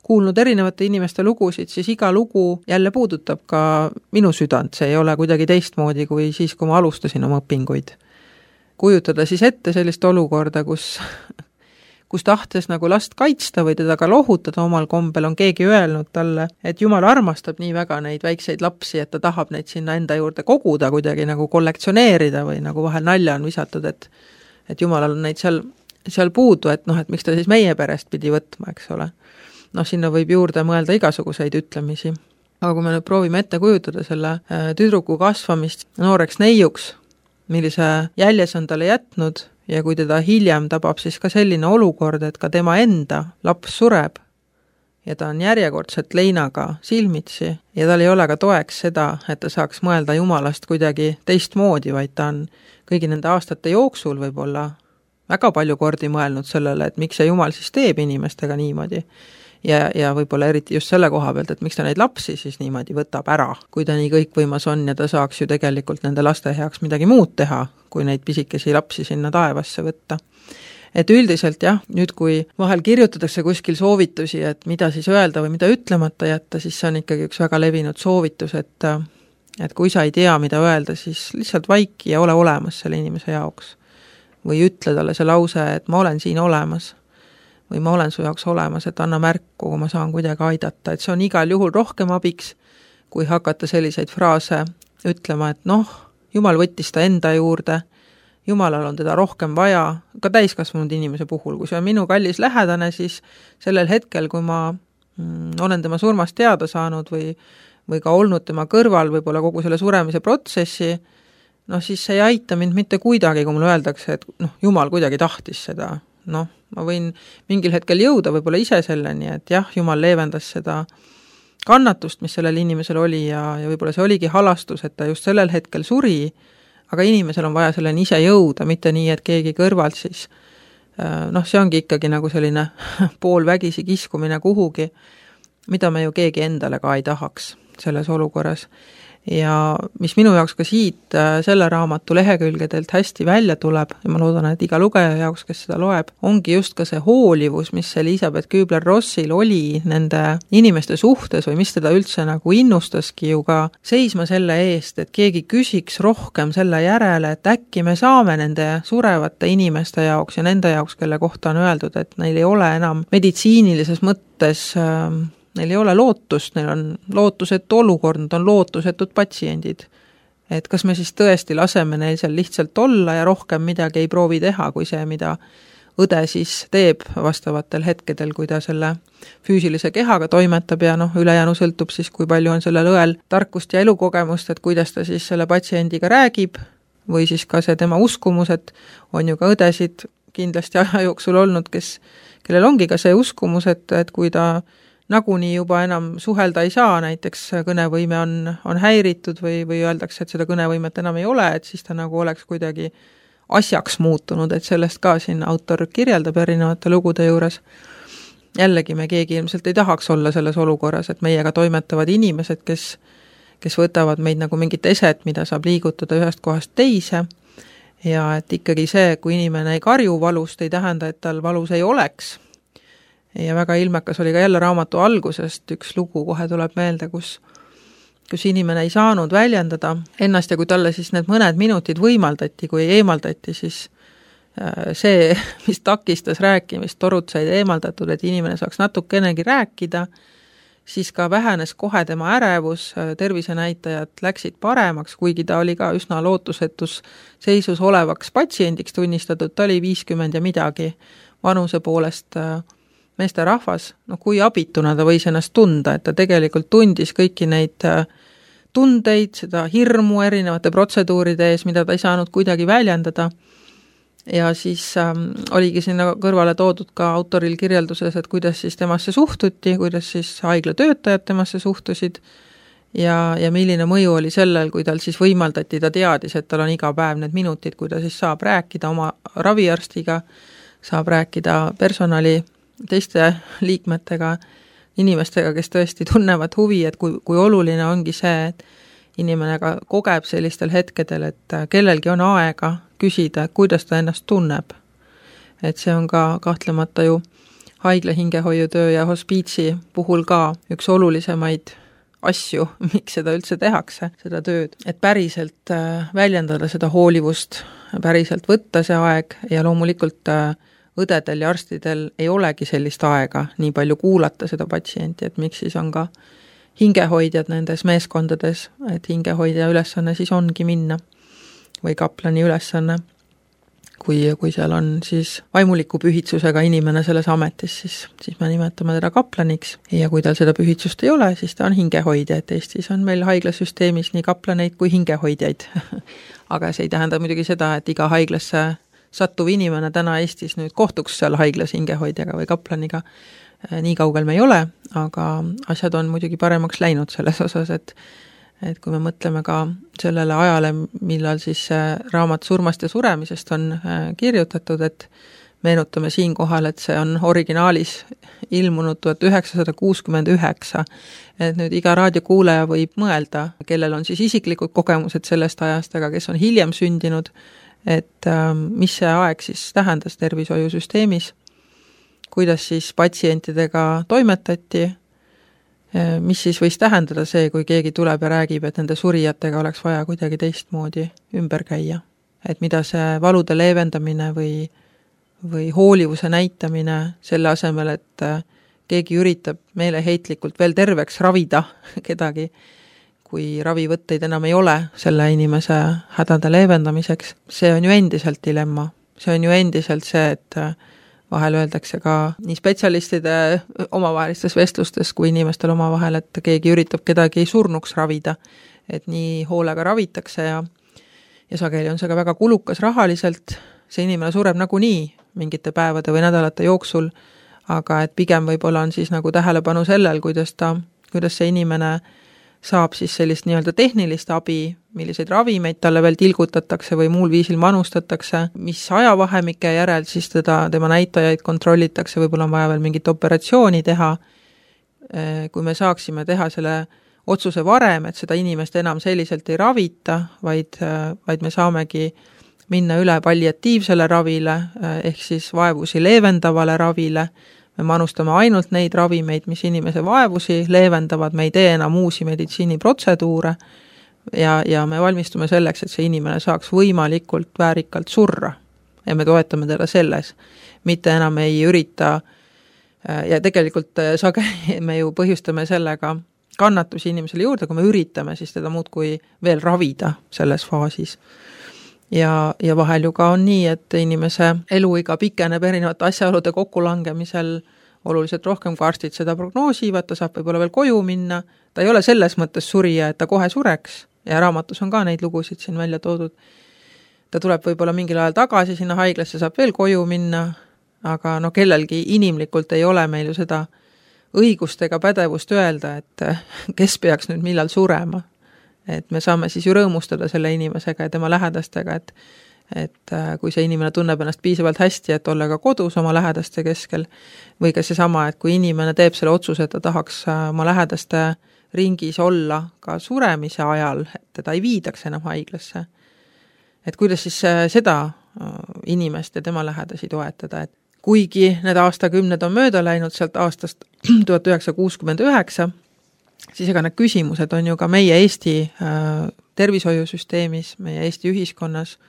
kuulnud erinevate inimeste lugusid, siis iga lugu jälle puudutab ka minu südant, see ei ole kuidagi teistmoodi kui siis, kui ma alustasin oma õpinguid. Kujutada siis ette sellist olukorda, kus kus tahtes nagu last kaitsta või teda ka lohutada omal kombel, on keegi öelnud talle, et Jumal armastab nii väga neid väikseid lapsi, et ta tahab neid sinna enda juurde koguda, kuidagi nagu kollektsioneerida või nagu vahel nalja on visatud, et, et Jumalal on neid seal, seal puudu, et noh, et miks ta siis meie perest pidi võtma, eks ole. Noh, sinna võib juurde mõelda igasuguseid ütlemisi. Aga kui me nüüd proovime ette kujutada selle tüdruku kasvamist nooreks neiuks, millise jäljes on talle jätnud, ja kui teda hiljem tabab siis ka selline olukord, et ka tema enda laps sureb ja ta on järjekordselt leinaga silmitsi ja tal ei ole ka toeks seda, et ta saaks mõelda Jumalast kuidagi teistmoodi, vaid ta on kõigi nende aastate jooksul võib-olla väga palju kordi mõelnud sellele, et miks see Jumal siis teeb inimestega niimoodi. Ja, ja võib-olla eriti just selle koha pealt, et miks ta neid lapsi siis niimoodi võtab ära, kui ta nii kõikvõimas on ja ta saaks ju tegelikult nende laste heaks midagi muud teha, kui neid pisikesi lapsi sinna taevasse võtta. Et üldiselt jah, nüüd kui vahel kirjutatakse kuskil soovitusi, et mida siis öelda või mida ütlemata jätta, siis see on ikkagi üks väga levinud soovitus, et, et kui sa ei tea, mida öelda, siis lihtsalt vaiki ja ole olemas selle inimese jaoks. Või ütle talle see lause, et ma olen siin olemas. Või ma olen su jaoks olemas, et anna märku, kui ma saan kuidagi aidata, et see on igal juhul rohkem abiks, kui hakata selliseid fraase ütlema, et noh, Jumal võttis ta enda juurde, Jumalal on teda rohkem vaja, ka täiskasvanud inimese puhul, kui see on minu kallis lähedane, siis sellel hetkel, kui ma mm, olen tema surmast teada saanud või, või ka olnud tema kõrval võib-olla kogu selle suremise protsessi, noh siis see ei aita mind mitte kuidagi, kui mulle öeldakse, et noh, Jumal kuidagi tahtis seda, noh, ma võin mingil hetkel jõuda võib-olla ise selleni, et jah, Jumal leevendas seda kannatust, mis sellel inimesel oli ja, ja võib-olla see oligi halastus, et ta just sellel hetkel suri, aga inimesel on vaja selleni ise jõuda, mitte nii, et keegi kõrvalt siis, noh, see ongi ikkagi nagu selline poolvägisi kiskumine kuhugi, mida me ju keegi endale ka ei tahaks selles olukorras. ja mis minu jaoks ka siit selle raamatu lehekülgedelt hästi välja tuleb ja ma loodan, et iga lugeja jaoks, kes seda loeb, ongi just ka see hoolivus, mis Elisabeth Kübler-Rossil oli nende inimeste suhtes või mis teda üldse nagu innustaski ju ka seisma selle eest, et keegi küsiks rohkem selle järele, et äkki me saame nende surevate inimeste jaoks ja nende jaoks, kelle kohta on öeldud, et neil ei ole enam meditsiinilises mõttes äh, neil ei ole lootust, neil on lootusetu olukord, nad on lootusetud patsiendid. Et kas me siis tõesti laseme neil seal lihtsalt olla ja rohkem midagi ei proovi teha, kui see, mida õde siis teeb vastavatel hetkedel, kui ta selle füüsilise kehaga toimetab ja noh, ülejäänu sõltub siis, kui palju on sellel õel tarkust ja elukogemust, et kuidas ta siis selle patsiendiga räägib või siis ka see tema uskumus, et on ju ka õdesid kindlasti aja jooksul olnud, kes, kellel ongi ka see uskumus, et, et kui ta nagunii juba enam suhelda ei saa, näiteks kõnevõime on, on häiritud või, või öeldakse, et seda kõnevõimet enam ei ole, et siis ta nagu oleks kuidagi asjaks muutunud, et sellest ka siin autor kirjeldab erinevate lugude juures. Jällegi me keegi ilmselt ei tahaks olla selles olukorras, et meiega toimetavad inimesed, kes, kes võtavad meid nagu mingit eset, mida saab liigutada ühest kohast teise ja et ikkagi see, kui inimene ei karju valust, ei tähenda, et tal valus ei oleks. Ja väga ilmekas oli ka jälle raamatu algusest üks lugu, kohe tuleb meelde, kus, kus inimene ei saanud väljendada ennast ja kui talle siis need mõned minutid võimaldati, kui eemaldati, siis see, mis takistas rääkimist, torud said eemaldatud, et inimene saaks natukenegi rääkida, siis ka vähenes kohe tema ärevus, tervisenäitajad läksid paremaks, kuigi ta oli ka üsna lootusetus seisus olevaks patsiendiks tunnistatud, ta oli viiskümmend ja midagi vanuse poolest meesterahvas, no kui abituna ta võis ennast tunda, et ta tegelikult tundis kõiki neid tundeid, seda hirmu erinevate protseduuride ees, mida ta ei saanud kuidagi väljendada. Ja siis ähm, oligi sinna kõrvale toodud ka autoril kirjelduses, et kuidas siis temasse suhtuti, kuidas siis haigla töötajad temasse suhtusid ja, ja milline mõju oli sellel, kui tal siis võimaldati, ta teadis, et tal on iga päev need minutid, kui ta siis saab rääkida oma raviarstiga, saab rääkida personali teiste liikmetega, inimestega, kes tõesti tunnevad huvi, et kui, kui oluline ongi see, et inimene ka kogeb sellistel hetkedel, et kellelgi on aega küsida, kuidas ta ennast tunneb. Et see on ka kahtlemata ju haigla hingehoiutöö ja hospiitsi puhul ka üks olulisemaid asju, miks seda üldse tehakse, seda tööd. Et päriselt väljendada seda hoolivust, päriselt võtta see aeg ja loomulikult õdedel ja arstidel ei olegi sellist aega nii palju kuulata seda patsienti, et miks siis on ka hingehoidjad nendes meeskondades, et hingehoidja ülesanne siis ongi minna või kaplani ülesanne, kui, kui seal on siis vaimuliku pühitsusega inimene selles ametis, siis, siis me nimetame teda kaplaniks ja kui tal seda pühitsust ei ole, siis ta on hingehoidja, et Eestis on meil haiglasüsteemis nii kaplaneid kui hingehoidjaid. Aga see ei tähenda muidugi seda, et iga haiglasse sattuv inimene täna Eestis nüüd kohtuks seal haiglas hingehoidjaga või kaplaniga. Nii kaugel me ei ole, aga asjad on muidugi paremaks läinud selles osas, et, et kui me mõtleme ka sellele ajale, millal siis raamat surmast ja suremisest on kirjutatud, et meenutame siin kohal, et see on originaalis ilmunud tuhat üheksasada kuuskümmend üheksa. Et nüüd iga raadiokuulaja võib mõelda, kellel on siis isiklikud kogemused sellest ajast, aga kes on hiljem sündinud, et mis see aeg siis tähendas tervishoiusüsteemis, kuidas siis patsientidega toimetati, mis siis võis tähendada see, kui keegi tuleb ja räägib, et nende surijatega oleks vaja kuidagi teistmoodi ümber käia. Et mida see valude leevendamine või, või hoolivuse näitamine selle asemel, et keegi üritab meeleheitlikult veel terveks ravida kedagi, kui ravivõtteid enam ei ole selle inimese hädade leevendamiseks. See on ju endiselt dilemma. See on ju endiselt see, et vahel öeldakse ka nii spetsialistide omavahelistes vestlustes kui inimestel omavahel, et keegi üritab kedagi surnuks ravida. Et nii hoolega ravitakse ja, ja sageli on see ka väga kulukas rahaliselt. See inimene sureb nagunii mingite päevade või nädalate jooksul, aga et pigem võib-olla on siis nagu tähelepanu sellel, kuidas ta, kuidas see inimene saab siis sellist nii-öelda tehnilist abi, milliseid ravimeid talle veel tilgutatakse või muul viisil manustatakse, mis ajavahemike järel siis teda, tema näitajaid kontrollitakse, võib-olla on vaja veel mingit operatsiooni teha. Kui me saaksime teha selle otsuse varem, et seda inimest enam selliselt ei ravita, vaid, vaid me saamegi minna üle palliatiivsele ravile, ehk siis vaevusi leevendavale ravile. Me manustame ainult neid ravimeid, mis inimese vaevusi leevendavad, me ei tee enam uusi meditsiiniprotseduure ja, ja me valmistume selleks, et see inimene saaks võimalikult väärikalt surra. Ja me toetame teda selles. Mitte enam ei ürita ja tegelikult sageli me ju põhjustame sellega kannatusi inimesele juurde, kui me üritame siis teda muudkui veel ravida selles faasis. Ja, ja vahel ju ka on nii, et inimese eluiga pikeneb erinevate asjaolude kokkulangemisel oluliselt rohkem, kui arstid seda prognoosivad, ta saab võib-olla veel koju minna, ta ei ole selles mõttes surija, et ta kohe sureks ja raamatus on ka neid lugusid siin välja toodud. Ta tuleb võib-olla mingil ajal tagasi sinna haiglasse, saab veel koju minna, aga no kellelgi inimlikult ei ole meil ju seda õigust ega pädevust öelda, et kes peaks nüüd millal surema. Et me saame siis ju rõõmustada selle inimesega ja tema lähedastega, et, et kui see inimene tunneb ennast piisavalt hästi, et olla ka kodus oma lähedaste keskel, või ka seesama, et kui inimene teeb selle otsuse, et ta tahaks oma lähedaste ringis olla ka suremise ajal, et teda ei viidaks enam haiglasse. Et kuidas siis seda inimest ja tema lähedasi toetada, et kuigi need aastakümned on mööda läinud sealt aastast tuhat üheksasada kuuskümmend üheksa, siis ega need küsimused on ju ka meie Eesti äh, tervishoiusüsteemis, meie Eesti ühiskonnas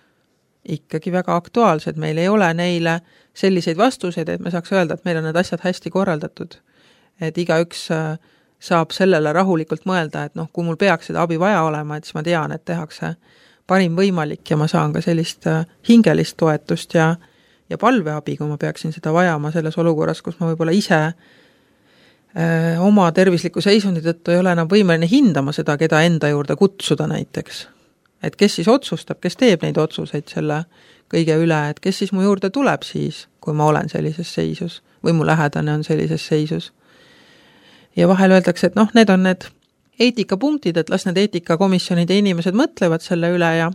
ikkagi väga aktuaalsed. Meil ei ole neile selliseid vastuseid, et me saaks öelda, et meil on need asjad hästi korraldatud. Et igaüks äh, saab sellele rahulikult mõelda, et noh, kui mul peaks seda abi vaja olema, et siis ma tean, et tehakse parim võimalik ja ma saan ka sellist äh, hingelist toetust ja, ja palveabi, kui ma peaksin seda vajama selles olukorras, kus ma võib-olla ise oma tervisliku seisundi tõttu ei ole enam võimeline hindama seda, keda enda juurde kutsuda näiteks. Et kes siis otsustab, kes teeb neid otsuseid selle kõige üle, et kes siis mu juurde tuleb siis, kui ma olen sellises seisus või mu lähedane on sellises seisus. Ja vahel öeldakse, et noh, need on need eetikapunktid, et las need eetikakomisjonid ja inimesed mõtlevad selle üle ja,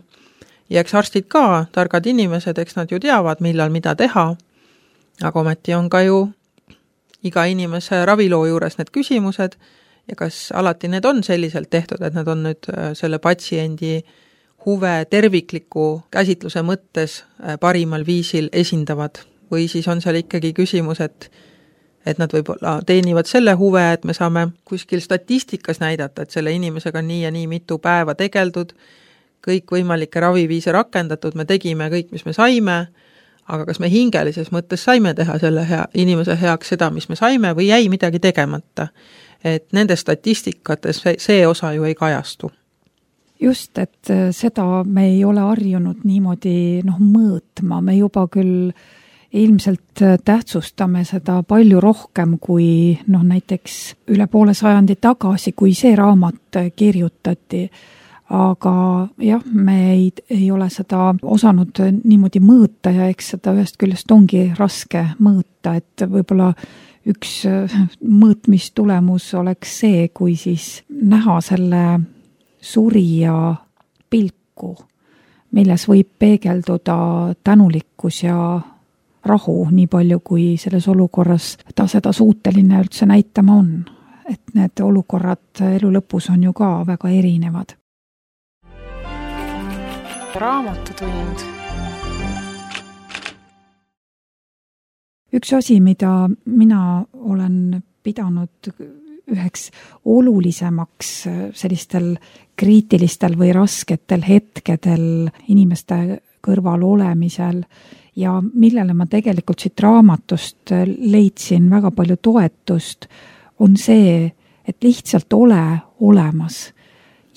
ja eks arstid ka, targad inimesed, eks nad ju teavad, millal mida teha, aga ometi on ka ju iga inimese raviloo juures need küsimused ja kas alati need on selliselt tehtud, et nad on nüüd selle patsiendi huve tervikliku käsitluse mõttes parimal viisil esindavad või siis on seal ikkagi küsimus, et, et nad võib-olla teenivad selle huve, et me saame kuskil statistikas näidata, et selle inimesega on nii ja nii mitu päeva tegeldud, kõik võimalikke raviviise rakendatud, me tegime kõik, mis me saime, aga kas me hingelises mõttes saime teha selle hea, inimese heaks seda, mis me saime või jäi midagi tegemata. Et nende statistikates see, see osa ju ei kajastu. Just, et seda me ei ole harjunud niimoodi noh, mõõtma, me juba küll ilmselt tähtsustame seda palju rohkem kui noh, näiteks üle poole sajandi tagasi, kui see raamat kirjutati. Aga jah, me ei, ei ole seda osanud niimoodi mõõta ja eks seda ühest küljest ongi raske mõõta, et võib-olla üks mõõtmistulemus oleks see, kui siis näha selle surija pilku, milles võib peegelduda tänulikkus ja rahu nii palju, kui selles olukorras ta seda suuteline üldse näitama on. Et need olukorrad elu lõpus on ju ka väga erinevad. Raamatutund. Üks asi, mida mina olen pidanud üheks olulisemaks sellistel kriitilistel või rasketel hetkedel inimeste kõrval olemisel ja millele ma tegelikult siit raamatust leidsin väga palju toetust, on see, et lihtsalt ole olemas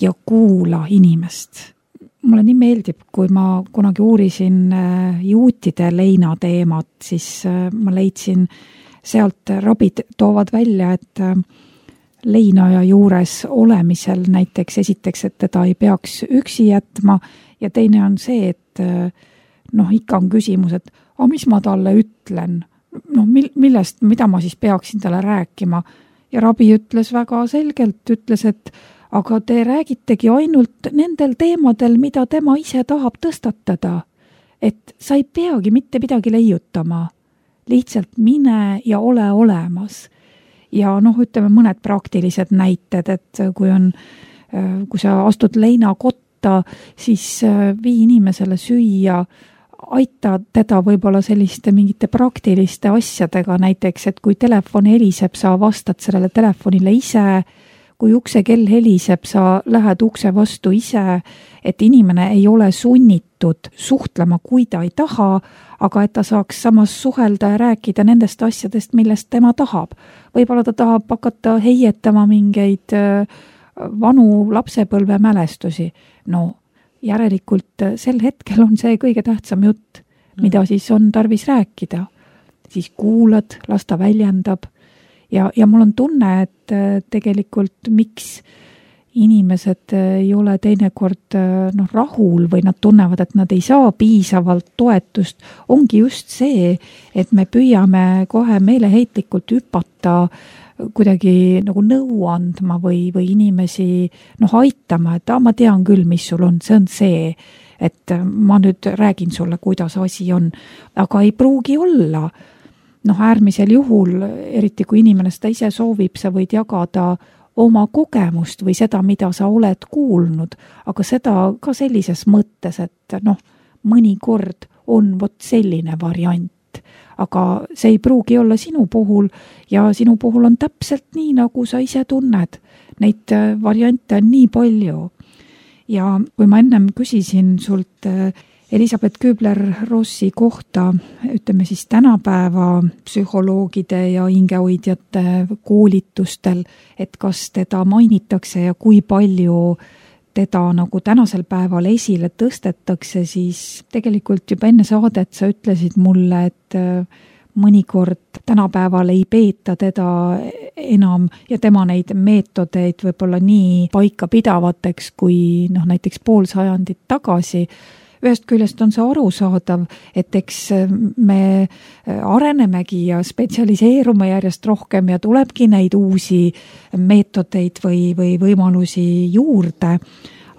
ja kuula inimest. Mulle nii meeldib, kui ma kunagi uurisin juutide leina teemat, siis ma leidsin sealt, rabid toovad välja, et leinaja juures olemisel näiteks esiteks, et teda ei peaks üksi jätma ja teine on see, et noh, ikka on küsimus, et a, mis ma talle ütlen, no millest, mida ma siis peaksin talle rääkima ja rabi ütles väga selgelt, ütles, et aga te räägitegi ainult nendel teemadel, mida tema ise tahab tõstatada. Et sa ei peagi mitte midagi leiutama. Lihtsalt mine ja ole olemas. ja noh, ütleme mõned praktilised näited, et kui on, kui sa astud leinakotta, siis vii inimesele süüa, aita teda võib-olla selliste mingite praktiliste asjadega, näiteks, et kui telefon heliseb, sa vastad sellele telefonile ise, kui uksekell heliseb, sa lähed ukse vastu ise, et inimene ei ole sunnitud suhtlema, kui ta ei taha, aga et ta saaks samas suhelda ja rääkida nendest asjadest, millest tema tahab. Võib-olla ta tahab hakata heietama mingeid vanu lapsepõlve mälestusi. No, järelikult sel hetkel on see kõige tähtsam jutt, mida siis on tarvis rääkida. Siis kuulad, las ta väljendab ja, ja mul on tunne, et tegelikult miks inimesed ei ole teinekord noh, rahul või nad tunnevad, et nad ei saa piisavalt toetust, ongi just see, et me püüame kohe meeleheitlikult hüpata kuidagi nagu nõu andma või, või inimesi noh, aitama, et ah, ma tean küll, mis sul on, see on see, et ma nüüd räägin sulle, kuidas asi on, aga ei pruugi olla. Noh, äärmisel juhul, eriti kui inimene seda ise soovib, sa võid jagada oma kogemust või seda, mida sa oled kuulnud, aga seda ka sellises mõttes, et noh, mõnikord on vot selline variant. Aga see ei pruugi olla sinu puhul ja sinu puhul on täpselt nii, nagu sa ise tunned. Neid variante on nii palju. Ja kui ma ennem küsisin sult Elisabeth Kübler-Rossi kohta, ütleme siis tänapäeva psühholoogide ja hingehoidjate koolitustel, et kas teda mainitakse ja kui palju teda nagu tänasel päeval esile tõstetakse, siis tegelikult juba enne saadet sa ütlesid mulle, et mõnikord tänapäeval ei peeta teda enam ja tema neid meetodeid võib-olla nii paika pidavateks kui noh, näiteks pool sajandit tagasi. Ühest küljest on see arusaadav, et eks me arenemegi ja spetsialiseerume järjest rohkem ja tulebki neid uusi meetodeid või, või võimalusi juurde,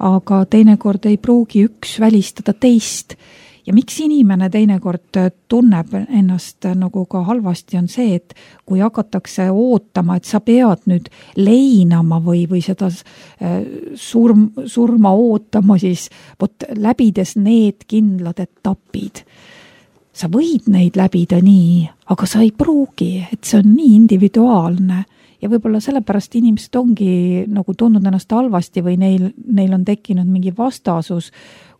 aga teinekord ei pruugi üks välistada teist. Ja miks inimene teinekord tunneb ennast nagu ka halvasti on see, et kui hakatakse ootama, et sa pead nüüd leinama või, või seda surm, surma ootama, siis võt, läbides need kindlad etapid. Sa võid neid läbida nii, aga sa ei pruugi, et see on nii individuaalne. Ja võib-olla sellepärast inimesed ongi nagu tundnud ennast halvasti või neil, neil on tekkinud mingi vastasus,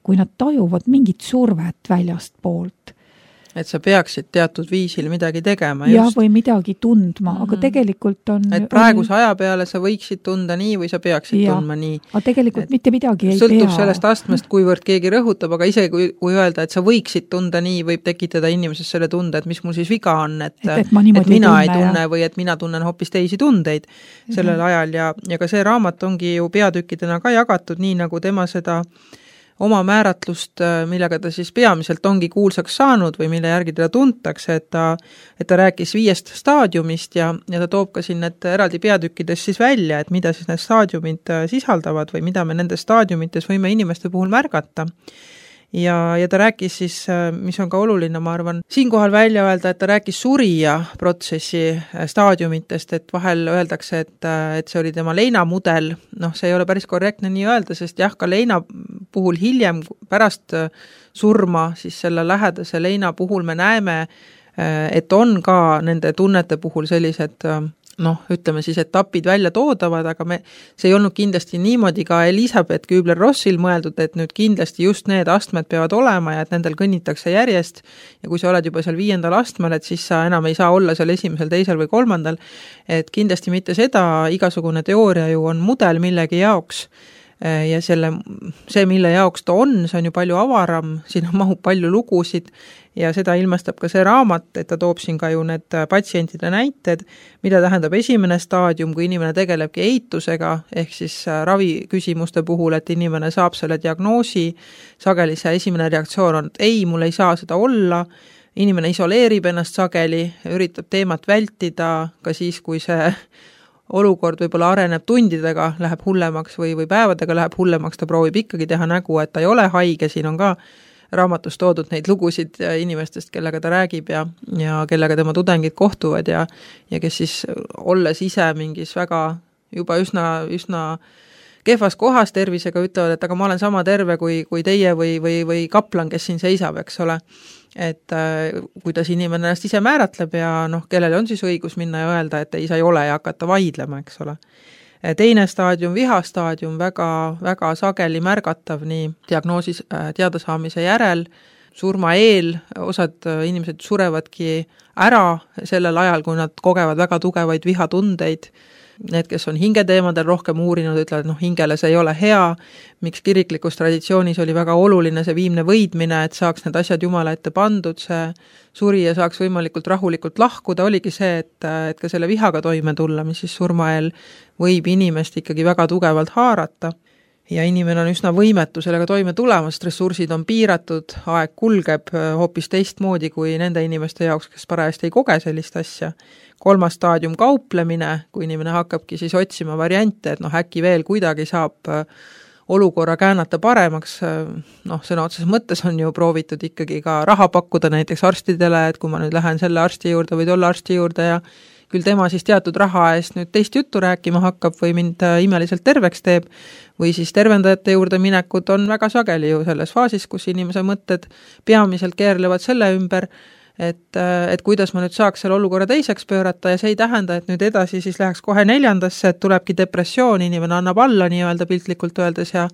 kui nad tajuvad mingit survet väljast poolt. Et sa peaksid teatud viisil midagi tegema. Ja just. Või midagi tundma, aga tegelikult on... Et praeguse aja peale sa võiksid tunda nii või sa peaksid ja, tundma nii. Aga tegelikult et mitte midagi ei sõltub pea. Sõltub sellest astmest, kuivõrd keegi rõhutab, aga isegi kui, kui öelda, et sa võiksid tunda nii, võib tekitada inimeses selle tunde, et mis mul siis viga on, et, et, et, et mina tunne, ei tunne ja. Või et mina tunnen hoopis teisi tundeid sellel mm-hmm. ajal ja, ja ka see raamat ongi ju peatükkidena ka jagatud nii, nagu tema seda oma määratlust, millega ta siis peamiselt ongi kuulsaks saanud või mille järgi teda tuntakse, et ta, et ta rääkis viiest staadiumist ja, ja ta toob ka siin need eraldi peatükkides siis välja, et mida siis need staadiumid sisaldavad või mida me nendes staadiumites võime inimeste puhul märgata. Ja, ja ta rääkis siis, mis on ka oluline, ma arvan, siinkohal välja öelda, et ta rääkis surija protsessi staadiumitest, et vahel öeldakse, et, et see oli tema leinamudel, noh, see ei ole päris korrektne nii öelda, sest jah, ka leina puhul hiljem pärast surma, siis selle lähedase leina puhul me näeme, et on ka nende tunnete puhul sellised noh, ütleme siis etapid välja toodavad, aga me, see ei olnud kindlasti niimoodi ka Elisabeth Kübler-Rossil mõeldud, et nüüd kindlasti just need astmed peavad olema ja et nendel kõnnitakse järjest ja kui sa oled juba seal viiendal astmel, et siis sa enam ei saa olla seal esimesel, teisel või kolmandal, et kindlasti mitte seda, igasugune teooria ju on mudel millegi jaoks ja selle, see, mille jaoks ta on, see on ju palju avaram, siin mahub palju lugusid ja seda ilmestab ka see raamat, et ta toob siin ka ju need patsientide näited, mida tähendab esimene staadium, kui inimene tegelebki eitusega, ehk siis raviküsimuste puhul, et inimene saab selle diagnoosi, sageli see esimene reaktsioon on, et ei, mul ei saa seda olla, inimene isoleerib ennast sageli, üritab teemat vältida ka siis, kui see olukord võib-olla areneb tundidega, läheb hullemaks või, või päevadega läheb hullemaks, ta proovib ikkagi teha nägu, et ta ei ole haige, siin on ka raamatus toodud neid lugusid inimestest, kellega ta räägib ja, ja kellega tema tudengid kohtuvad ja, ja kes siis olles ise mingis väga juba üsna, üsna kehvas kohas tervisega ütlevad, et aga ma olen sama terve kui, kui teie või, või, või kaplan, kes siin seisab, eks ole. Et äh, kuidas inimene ennast ise määratleb ja noh, kellele on siis õigus minna ja öelda, et ei, sa ei ole ja hakata vaidlema, eks ole. Teine staadium, vihastaadium, väga, väga sageli märgatav nii diagnoosis teada saamise järel, surma eel, osad inimesed surevadki ära sellel ajal, kui nad kogevad väga tugevaid vihatundeid. Need, kes on hingeteemadel rohkem uurinud, ütlevad, et noh, hingele see ei ole hea, miks kiriklikus traditsioonis oli väga oluline see viimne võidmine, et saaks need asjad Jumala ette pandud, see surija saaks võimalikult rahulikult lahkuda, oligi see, et, et ka selle vihaga toime tulla, mis siis surmael võib inimest ikkagi väga tugevalt haarata. Ja inimene on üsna võimetu sellega toime tulema, sest ressursid on piiratud, aeg kulgeb hoopis teistmoodi kui nende inimeste jaoks, kes parajasti ei koge sellist asja. Kolmas staadium kauplemine, kui inimene hakkabki siis otsima variante, et noh, äkki veel kuidagi saab olukorra käänata paremaks, noh, sõna otseses mõttes on ju proovitud ikkagi ka raha pakkuda näiteks arstidele, et kui ma nüüd lähen selle arsti juurde või tolle arsti juurde ja küll tema siis teatud raha eest nüüd teist juttu rääkima hakkab või mind imeliselt terveks teeb, või siis tervendajate juurde minekud on väga sageli ju selles faasis, kus inimese mõtted peamiselt keerlevad selle ümber, et, et kuidas ma nüüd saaks selle olukorra teiseks pöörata ja see ei tähenda, et nüüd edasi siis läheks kohe neljandasse, et tulebki depressioon, inimene annab alla nii-öelda piltlikult öeldes ja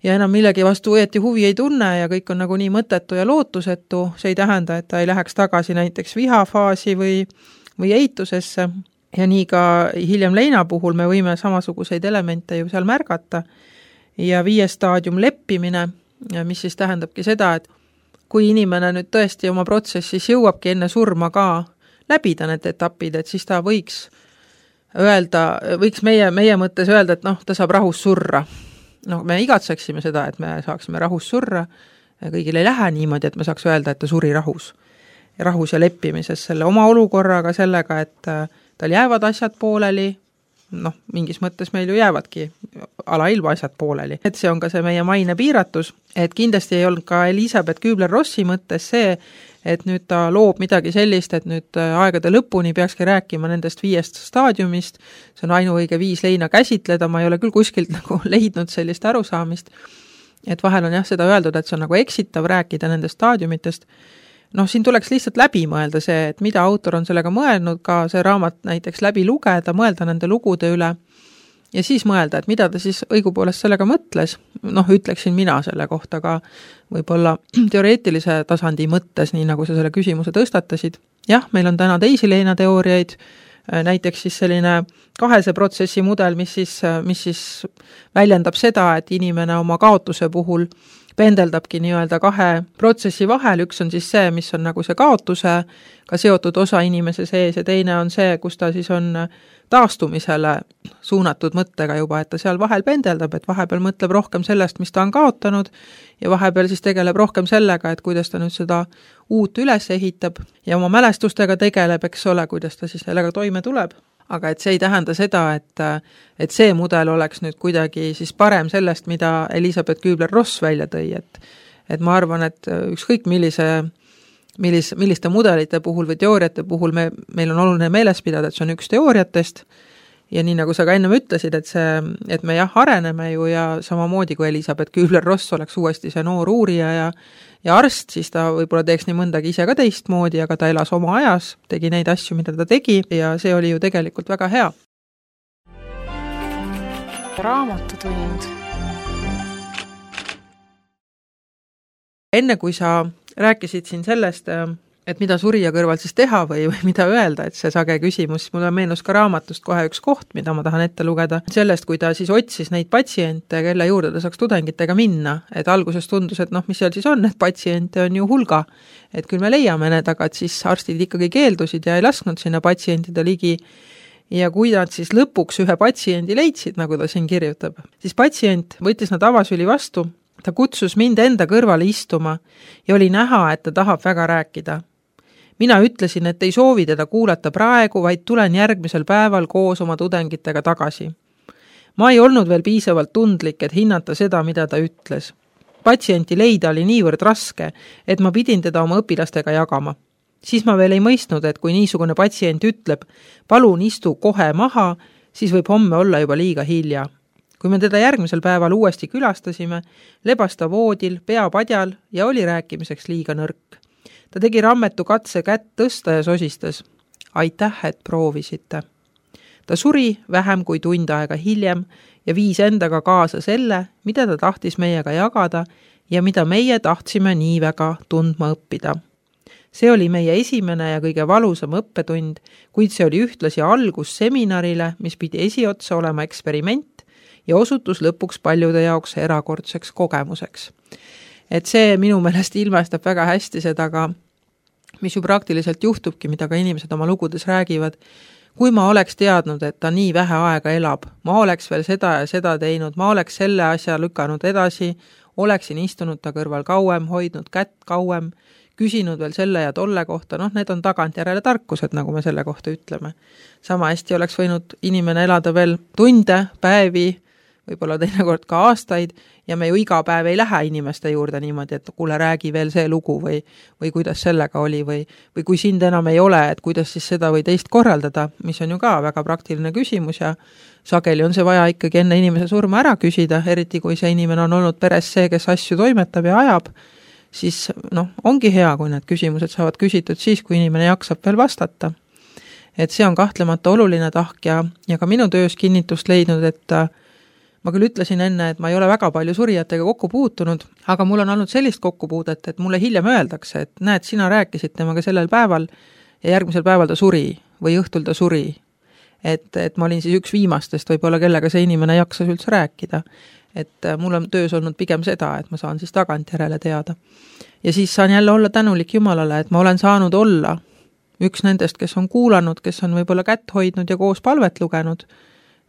ja enam millegi vastu õieti huvi ei tunne ja kõik on nagu nii mõttetu ja lootusetu, see ei tähenda, et ta ei läheks tagasi näiteks vihafaasi või või eitusesse ja nii ka hiljem leina puhul me võime samasuguseid elemente ju seal märgata. Ja viies staadium leppimine, mis siis tähendabki seda, et kui inimene nüüd tõesti oma protsessis jõuabki enne surma ka läbida need etapid, et siis ta võiks öelda, võiks meie, meie mõttes öelda, et noh, ta saab rahus surra. No, me igatseksime seda, et me saaksime rahus surra ja kõigil ei lähe niimoodi, et me saaks öelda, et ta suri rahus. rahus ja leppimises selle oma olukorraga sellega, et tal jäävad asjad pooleli, noh, mingis mõttes meil ju jäävadki alailma asjad pooleli. Et see on ka see meie maine piiratus, et kindlasti ei olnud ka Elisabeth Kübler-Rossi mõttes see, et nüüd ta loob midagi sellist, et nüüd aegade lõpuni peakski rääkima nendest viiest staadiumist, see on ainuõige viis leina käsitleda, ma ei ole küll kuskilt nagu leidnud sellist arusaamist, et vahel on jah seda öeldud, et see on nagu eksitav rääkida nendest staadiumitest. Noh, siin tuleks lihtsalt läbi mõelda see, et mida autor on sellega mõelnud, ka see raamat näiteks läbi lugeda, mõelda nende lugude üle ja siis mõelda, et mida ta siis õigupoolest sellega mõtles. Noh, ütleksin mina selle kohta ka võib-olla teoreetilise tasandi mõttes, nii nagu sa selle küsimuse tõstatasid. Jah, meil on täna teisi leinateooriaid, näiteks siis selline kahese protsessi mudel, mis siis, mis siis väljendab seda, et inimene oma kaotuse puhul pendeldabki nii-öelda kahe protsessi vahel, üks on siis see, mis on nagu see kaotusega seotud osa inimese sees ja teine on see, kus ta siis on taastumisele suunatud mõttega juba, et ta seal vahel pendeldab, et vahepeal mõtleb rohkem sellest, mis ta on kaotanud ja vahepeal siis tegeleb rohkem sellega, et kuidas ta nüüd seda uut üles ehitab ja oma mälestustega tegeleb, eks ole, kuidas ta siis sellega toime tuleb. Aga et see ei tähenda seda, et, et see mudel oleks nüüd kuidagi siis parem sellest, mida Elisabeth Kübler-Ross välja tõi, et, et ma arvan, et ükskõik millise, millis, milliste mudelite puhul või teooriate puhul me, meil on oluline meeles pidada, et see on üks teooriatest ja nii nagu sa ka ennem ütlesid, et see, et me jah, areneme ju ja samamoodi kui Elisabeth Kübler-Ross oleks uuesti see noor uurija ja ja arst, siis ta võib-olla teeks nii mõndagi ise ka teistmoodi, aga ta elas oma ajas, tegi neid asju, mida ta tegi ja see oli ju tegelikult väga hea. Raamatutund. Enne kui sa rääkisid siin sellest, et mida surija kõrval siis teha või, või mida öelda, et see sage küsimus, mulle meenus ka raamatust kohe üks koht, mida ma tahan ette lugeda. Sellest, kui ta siis otsis neid patsiente, kelle juurde ta saaks tudengitega minna, et alguses tundus, et noh, mis seal siis on, et patsiente on ju hulga, et küll me leiame need, aga et siis arstid ikkagi keeldusid ja ei lasknud sinna patsientide ligi. Ja kui nad siis lõpuks ühe patsiendi leidsid, nagu ta siin kirjutab, siis patsient võttis nad avasüli vastu, ta kutsus mind enda kõrvale istuma ja oli näha, et ta tahab väga rääkida. Mina ütlesin, et ei soovi teda kuulata praegu, vaid tulen järgmisel päeval koos oma tudengitega tagasi. Ma ei olnud veel piisavalt tundlik, et hinnata seda, mida ta ütles. patsienti leida oli niivõrd raske, et ma pidin teda oma õpilastega jagama. Siis ma veel ei mõistnud, et kui niisugune patsient ütleb, palun istu kohe maha, siis võib homme olla juba liiga hilja. Kui me teda järgmisel päeval uuesti külastasime, lebas ta voodil, pea padjal ja oli rääkimiseks liiga nõrk. Ta tegi rammetu katse kätt tõsta ja sosistas. Aitäh, et proovisite. Ta suri vähem kui tund aega hiljem ja viis endaga kaasa selle, mida ta tahtis meiega jagada ja mida meie tahtsime nii väga tundma õppida. See oli meie esimene ja kõige valusam õppetund, kuid see oli ühtlasi algus seminarile, mis pidi esiotsa olema eksperiment ja osutus lõpuks paljude jaoks erakordseks kogemuseks. Et see minu meelest ilmestab väga hästi seda ka, mis ju praktiliselt juhtubki, mida ka inimesed oma lugudes räägivad. Kui ma oleks teadnud, et ta nii vähe aega elab, ma oleks veel seda ja seda teinud, ma oleks selle asja lükanud edasi, oleksin istunud ta kõrval kauem, hoidnud kätt kauem, küsinud veel selle ja tolle kohta, noh, need on tagantjärele tarkused, nagu me selle kohta ütleme. Sama hästi oleks võinud inimene elada veel tunde, päevi, võib-olla teinekord ka aastaid ja me ju iga päev ei lähe inimeste juurde niimoodi, et kuule, räägi veel see lugu või, või kuidas sellega oli või, või kui sind enam ei ole, et kuidas siis seda või teist korraldada, mis on ju ka väga praktiline küsimus ja sageli on see vaja ikkagi enne inimese surma ära küsida, eriti kui see inimene on olnud peres see, kes asju toimetab ja ajab, siis noh, ongi hea, kui need küsimused saavad küsitud siis, kui inimene jaksab veel vastata. Et see on kahtlemata oluline tahk ja, ja ka minu töös kinnitust leidnud, et ma küll ütlesin enne, et ma ei ole väga palju surijatega kokku puutunud, aga mul on olnud sellist kokkupuudet, et mulle hiljem öeldakse, et näed, sina rääkisid temaga sellel päeval ja järgmisel päeval ta suri või õhtul ta suri. Et, et ma olin siis üks viimastest võib-olla, kellega see inimene jaksas üldse rääkida. Et mul on töös olnud pigem seda, et ma saan siis tagantjärele teada. Ja siis saan jälle olla tänulik Jumalale, et ma olen saanud olla üks nendest, kes on kuulanud, kes on võib-olla kätt hoidnud ja koos palvet lugenud,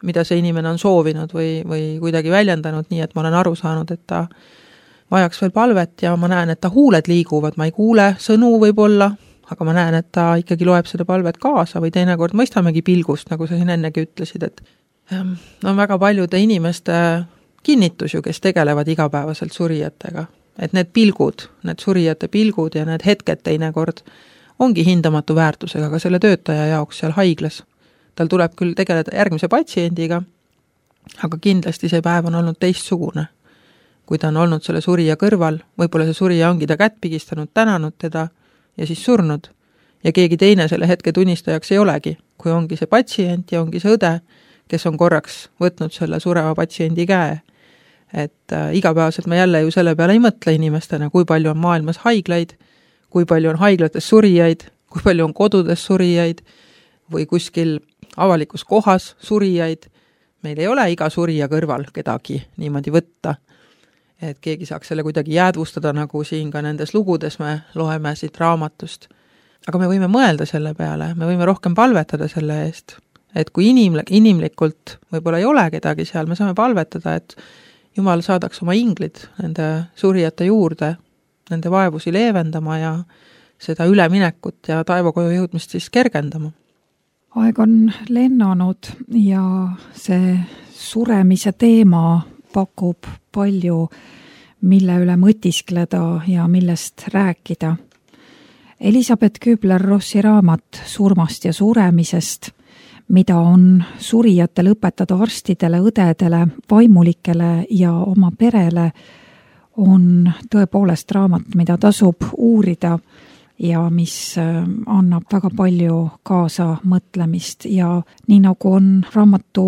mida see inimene on soovinud või, või kuidagi väljendanud, nii et ma olen aru saanud, et ta vajaks veel palvet ja ma näen, et ta huuled liiguvad, ma ei kuule sõnu võib-olla, aga ma näen, et ta ikkagi loeb seda palvet kaasa või teinekord mõistamegi pilgust, nagu sa siin ennegi ütlesid, et no on väga paljude inimeste kinnitus ju, kes tegelevad igapäevaselt surijatega, et need pilgud, need surijate pilgud ja need hetked teinekord ongi hindamatu väärtusega ka selle töötaja jaoks seal haiglas. Tal tuleb küll tegeleda järgmise patsiendiga, aga kindlasti see päev on olnud teistsugune. Kui ta on olnud selle surija kõrval, võib-olla see surija ongi ta kätt pigistanud, tänanud teda ja siis surnud. Ja keegi teine selle hetke tunnistajaks ei olegi, kui ongi see patsient ja ongi see õde, kes on korraks võtnud selle sureva patsiendi käe. Et äh, igapäevaselt me jälle ju selle peale ei mõtle inimestena, kui palju on maailmas haiglaid, kui palju on haiglates surijaid, kui palju on kodudes surijaid või kuskil avalikus kohas surijaid. Meil ei ole iga surija kõrval kedagi niimoodi võtta, et keegi saaks selle kuidagi jäädvustada, nagu siin ka nendes lugudes me loeme siit raamatust. Aga me võime mõelda selle peale, me võime rohkem palvetada selle eest, et kui inimlik, inimlikult võib-olla ei ole kedagi seal, me saame palvetada, et Jumal saadaks oma inglid nende surijate juurde, nende vaevusi leevendama ja seda üleminekut ja taevakoju jõudmist siis kergendama. Aeg on lennanud ja see suremise teema pakub palju, mille üle mõtiskleda ja millest rääkida. Elisabeth Kübler-Rossi raamat Surmast ja suremisest, mida on surijatel õpetada arstidele, õdedele, vaimulikele ja oma perele, on tõepoolest raamat, mida tasub uurida ja mis annab väga palju kaasa mõtlemist ja nii nagu on raamatu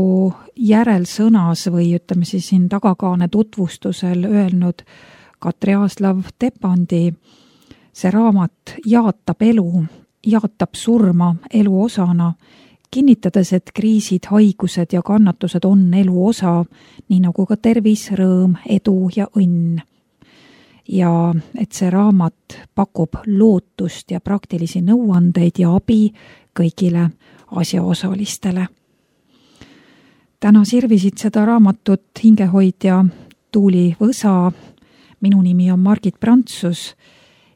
järelsõnas või ütleme siis siin tagakaane tutvustusel öelnud Katri Aaslav Tepandi, see raamat jaatab elu, jaatab surma elu osana, kinnitades, et kriisid, haigused ja kannatused on elu osa, nii nagu ka tervis, rõõm, edu ja õnn. Ja et see raamat pakub lootust ja praktilisi nõuandeid ja abi kõigile asjaosalistele. Täna sirvisid seda raamatut hingehoidja Tuuli Võsa, minu nimi on Margit Prantsus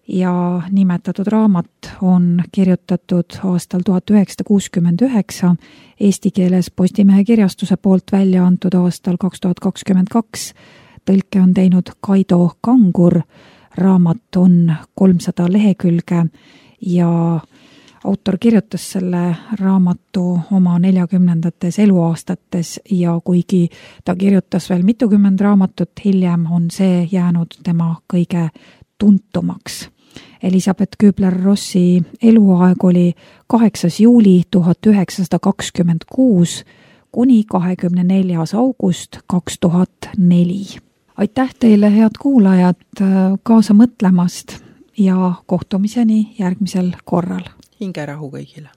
ja nimetatud raamat on kirjutatud aastal tuhat üheksasada kuuskümmend üheksa, eesti keeles Postimehe kirjastuse poolt välja antud aastal kaks tuhat kakskümmend kaks. tõlke on teinud Kaido Kangur, raamat on kolmsada lehekülge ja autor kirjutas selle raamatu oma neljakümnendates eluaastates ja kuigi ta kirjutas veel mitukümmend raamatut hiljem, on see jäänud tema kõige tuntumaks. Elisabeth Kübler-Rossi eluaeg oli kaheksas juuli tuhat üheksasada kakskümmend kuus kuni kahekümne neljas august kaks tuhat neli. Aitäh teile, head kuulajad, kaasa mõtlemast ja kohtumiseni järgmisel korral. Hingerahu kõigile.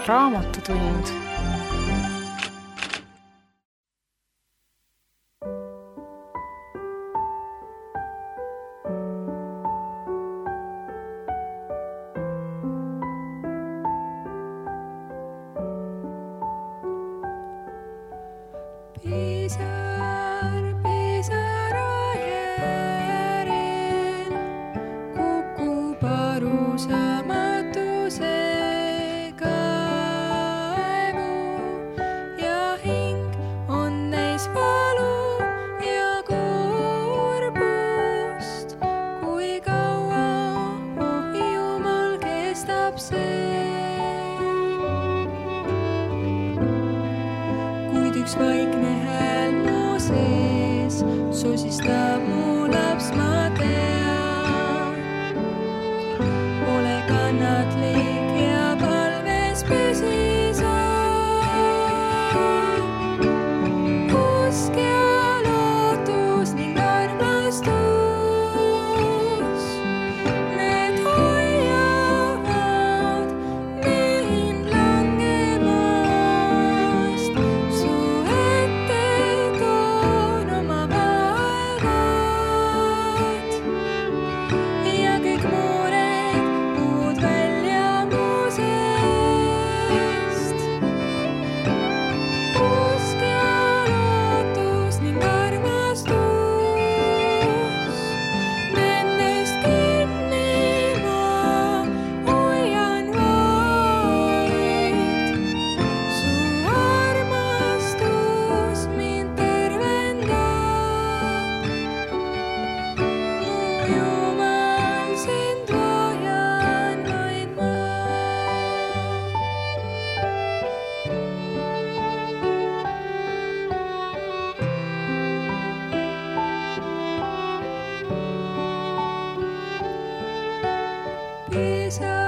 Raamatutund. Pisar, pisara järel kukub arusamatuse kaevu ja hing on neis valu ja kurbust. Kui kaua, oh Jumal, kestab see? Kuid üks vaikne hääl mu sees sosistab mu laps, ma tean. Ole kannatlik ja palves püsi sa. Usk ja lootus ning armastus, need hoiavad mind langemast. Su ette toon oma vaevad ja kõik mured muud välja mu seest. Usk ja lootus ning armastus, nendest kinni ma hoian vaid. Su armastus mind tervendab, mu Jumal, sind vajan vaid ma. Pisar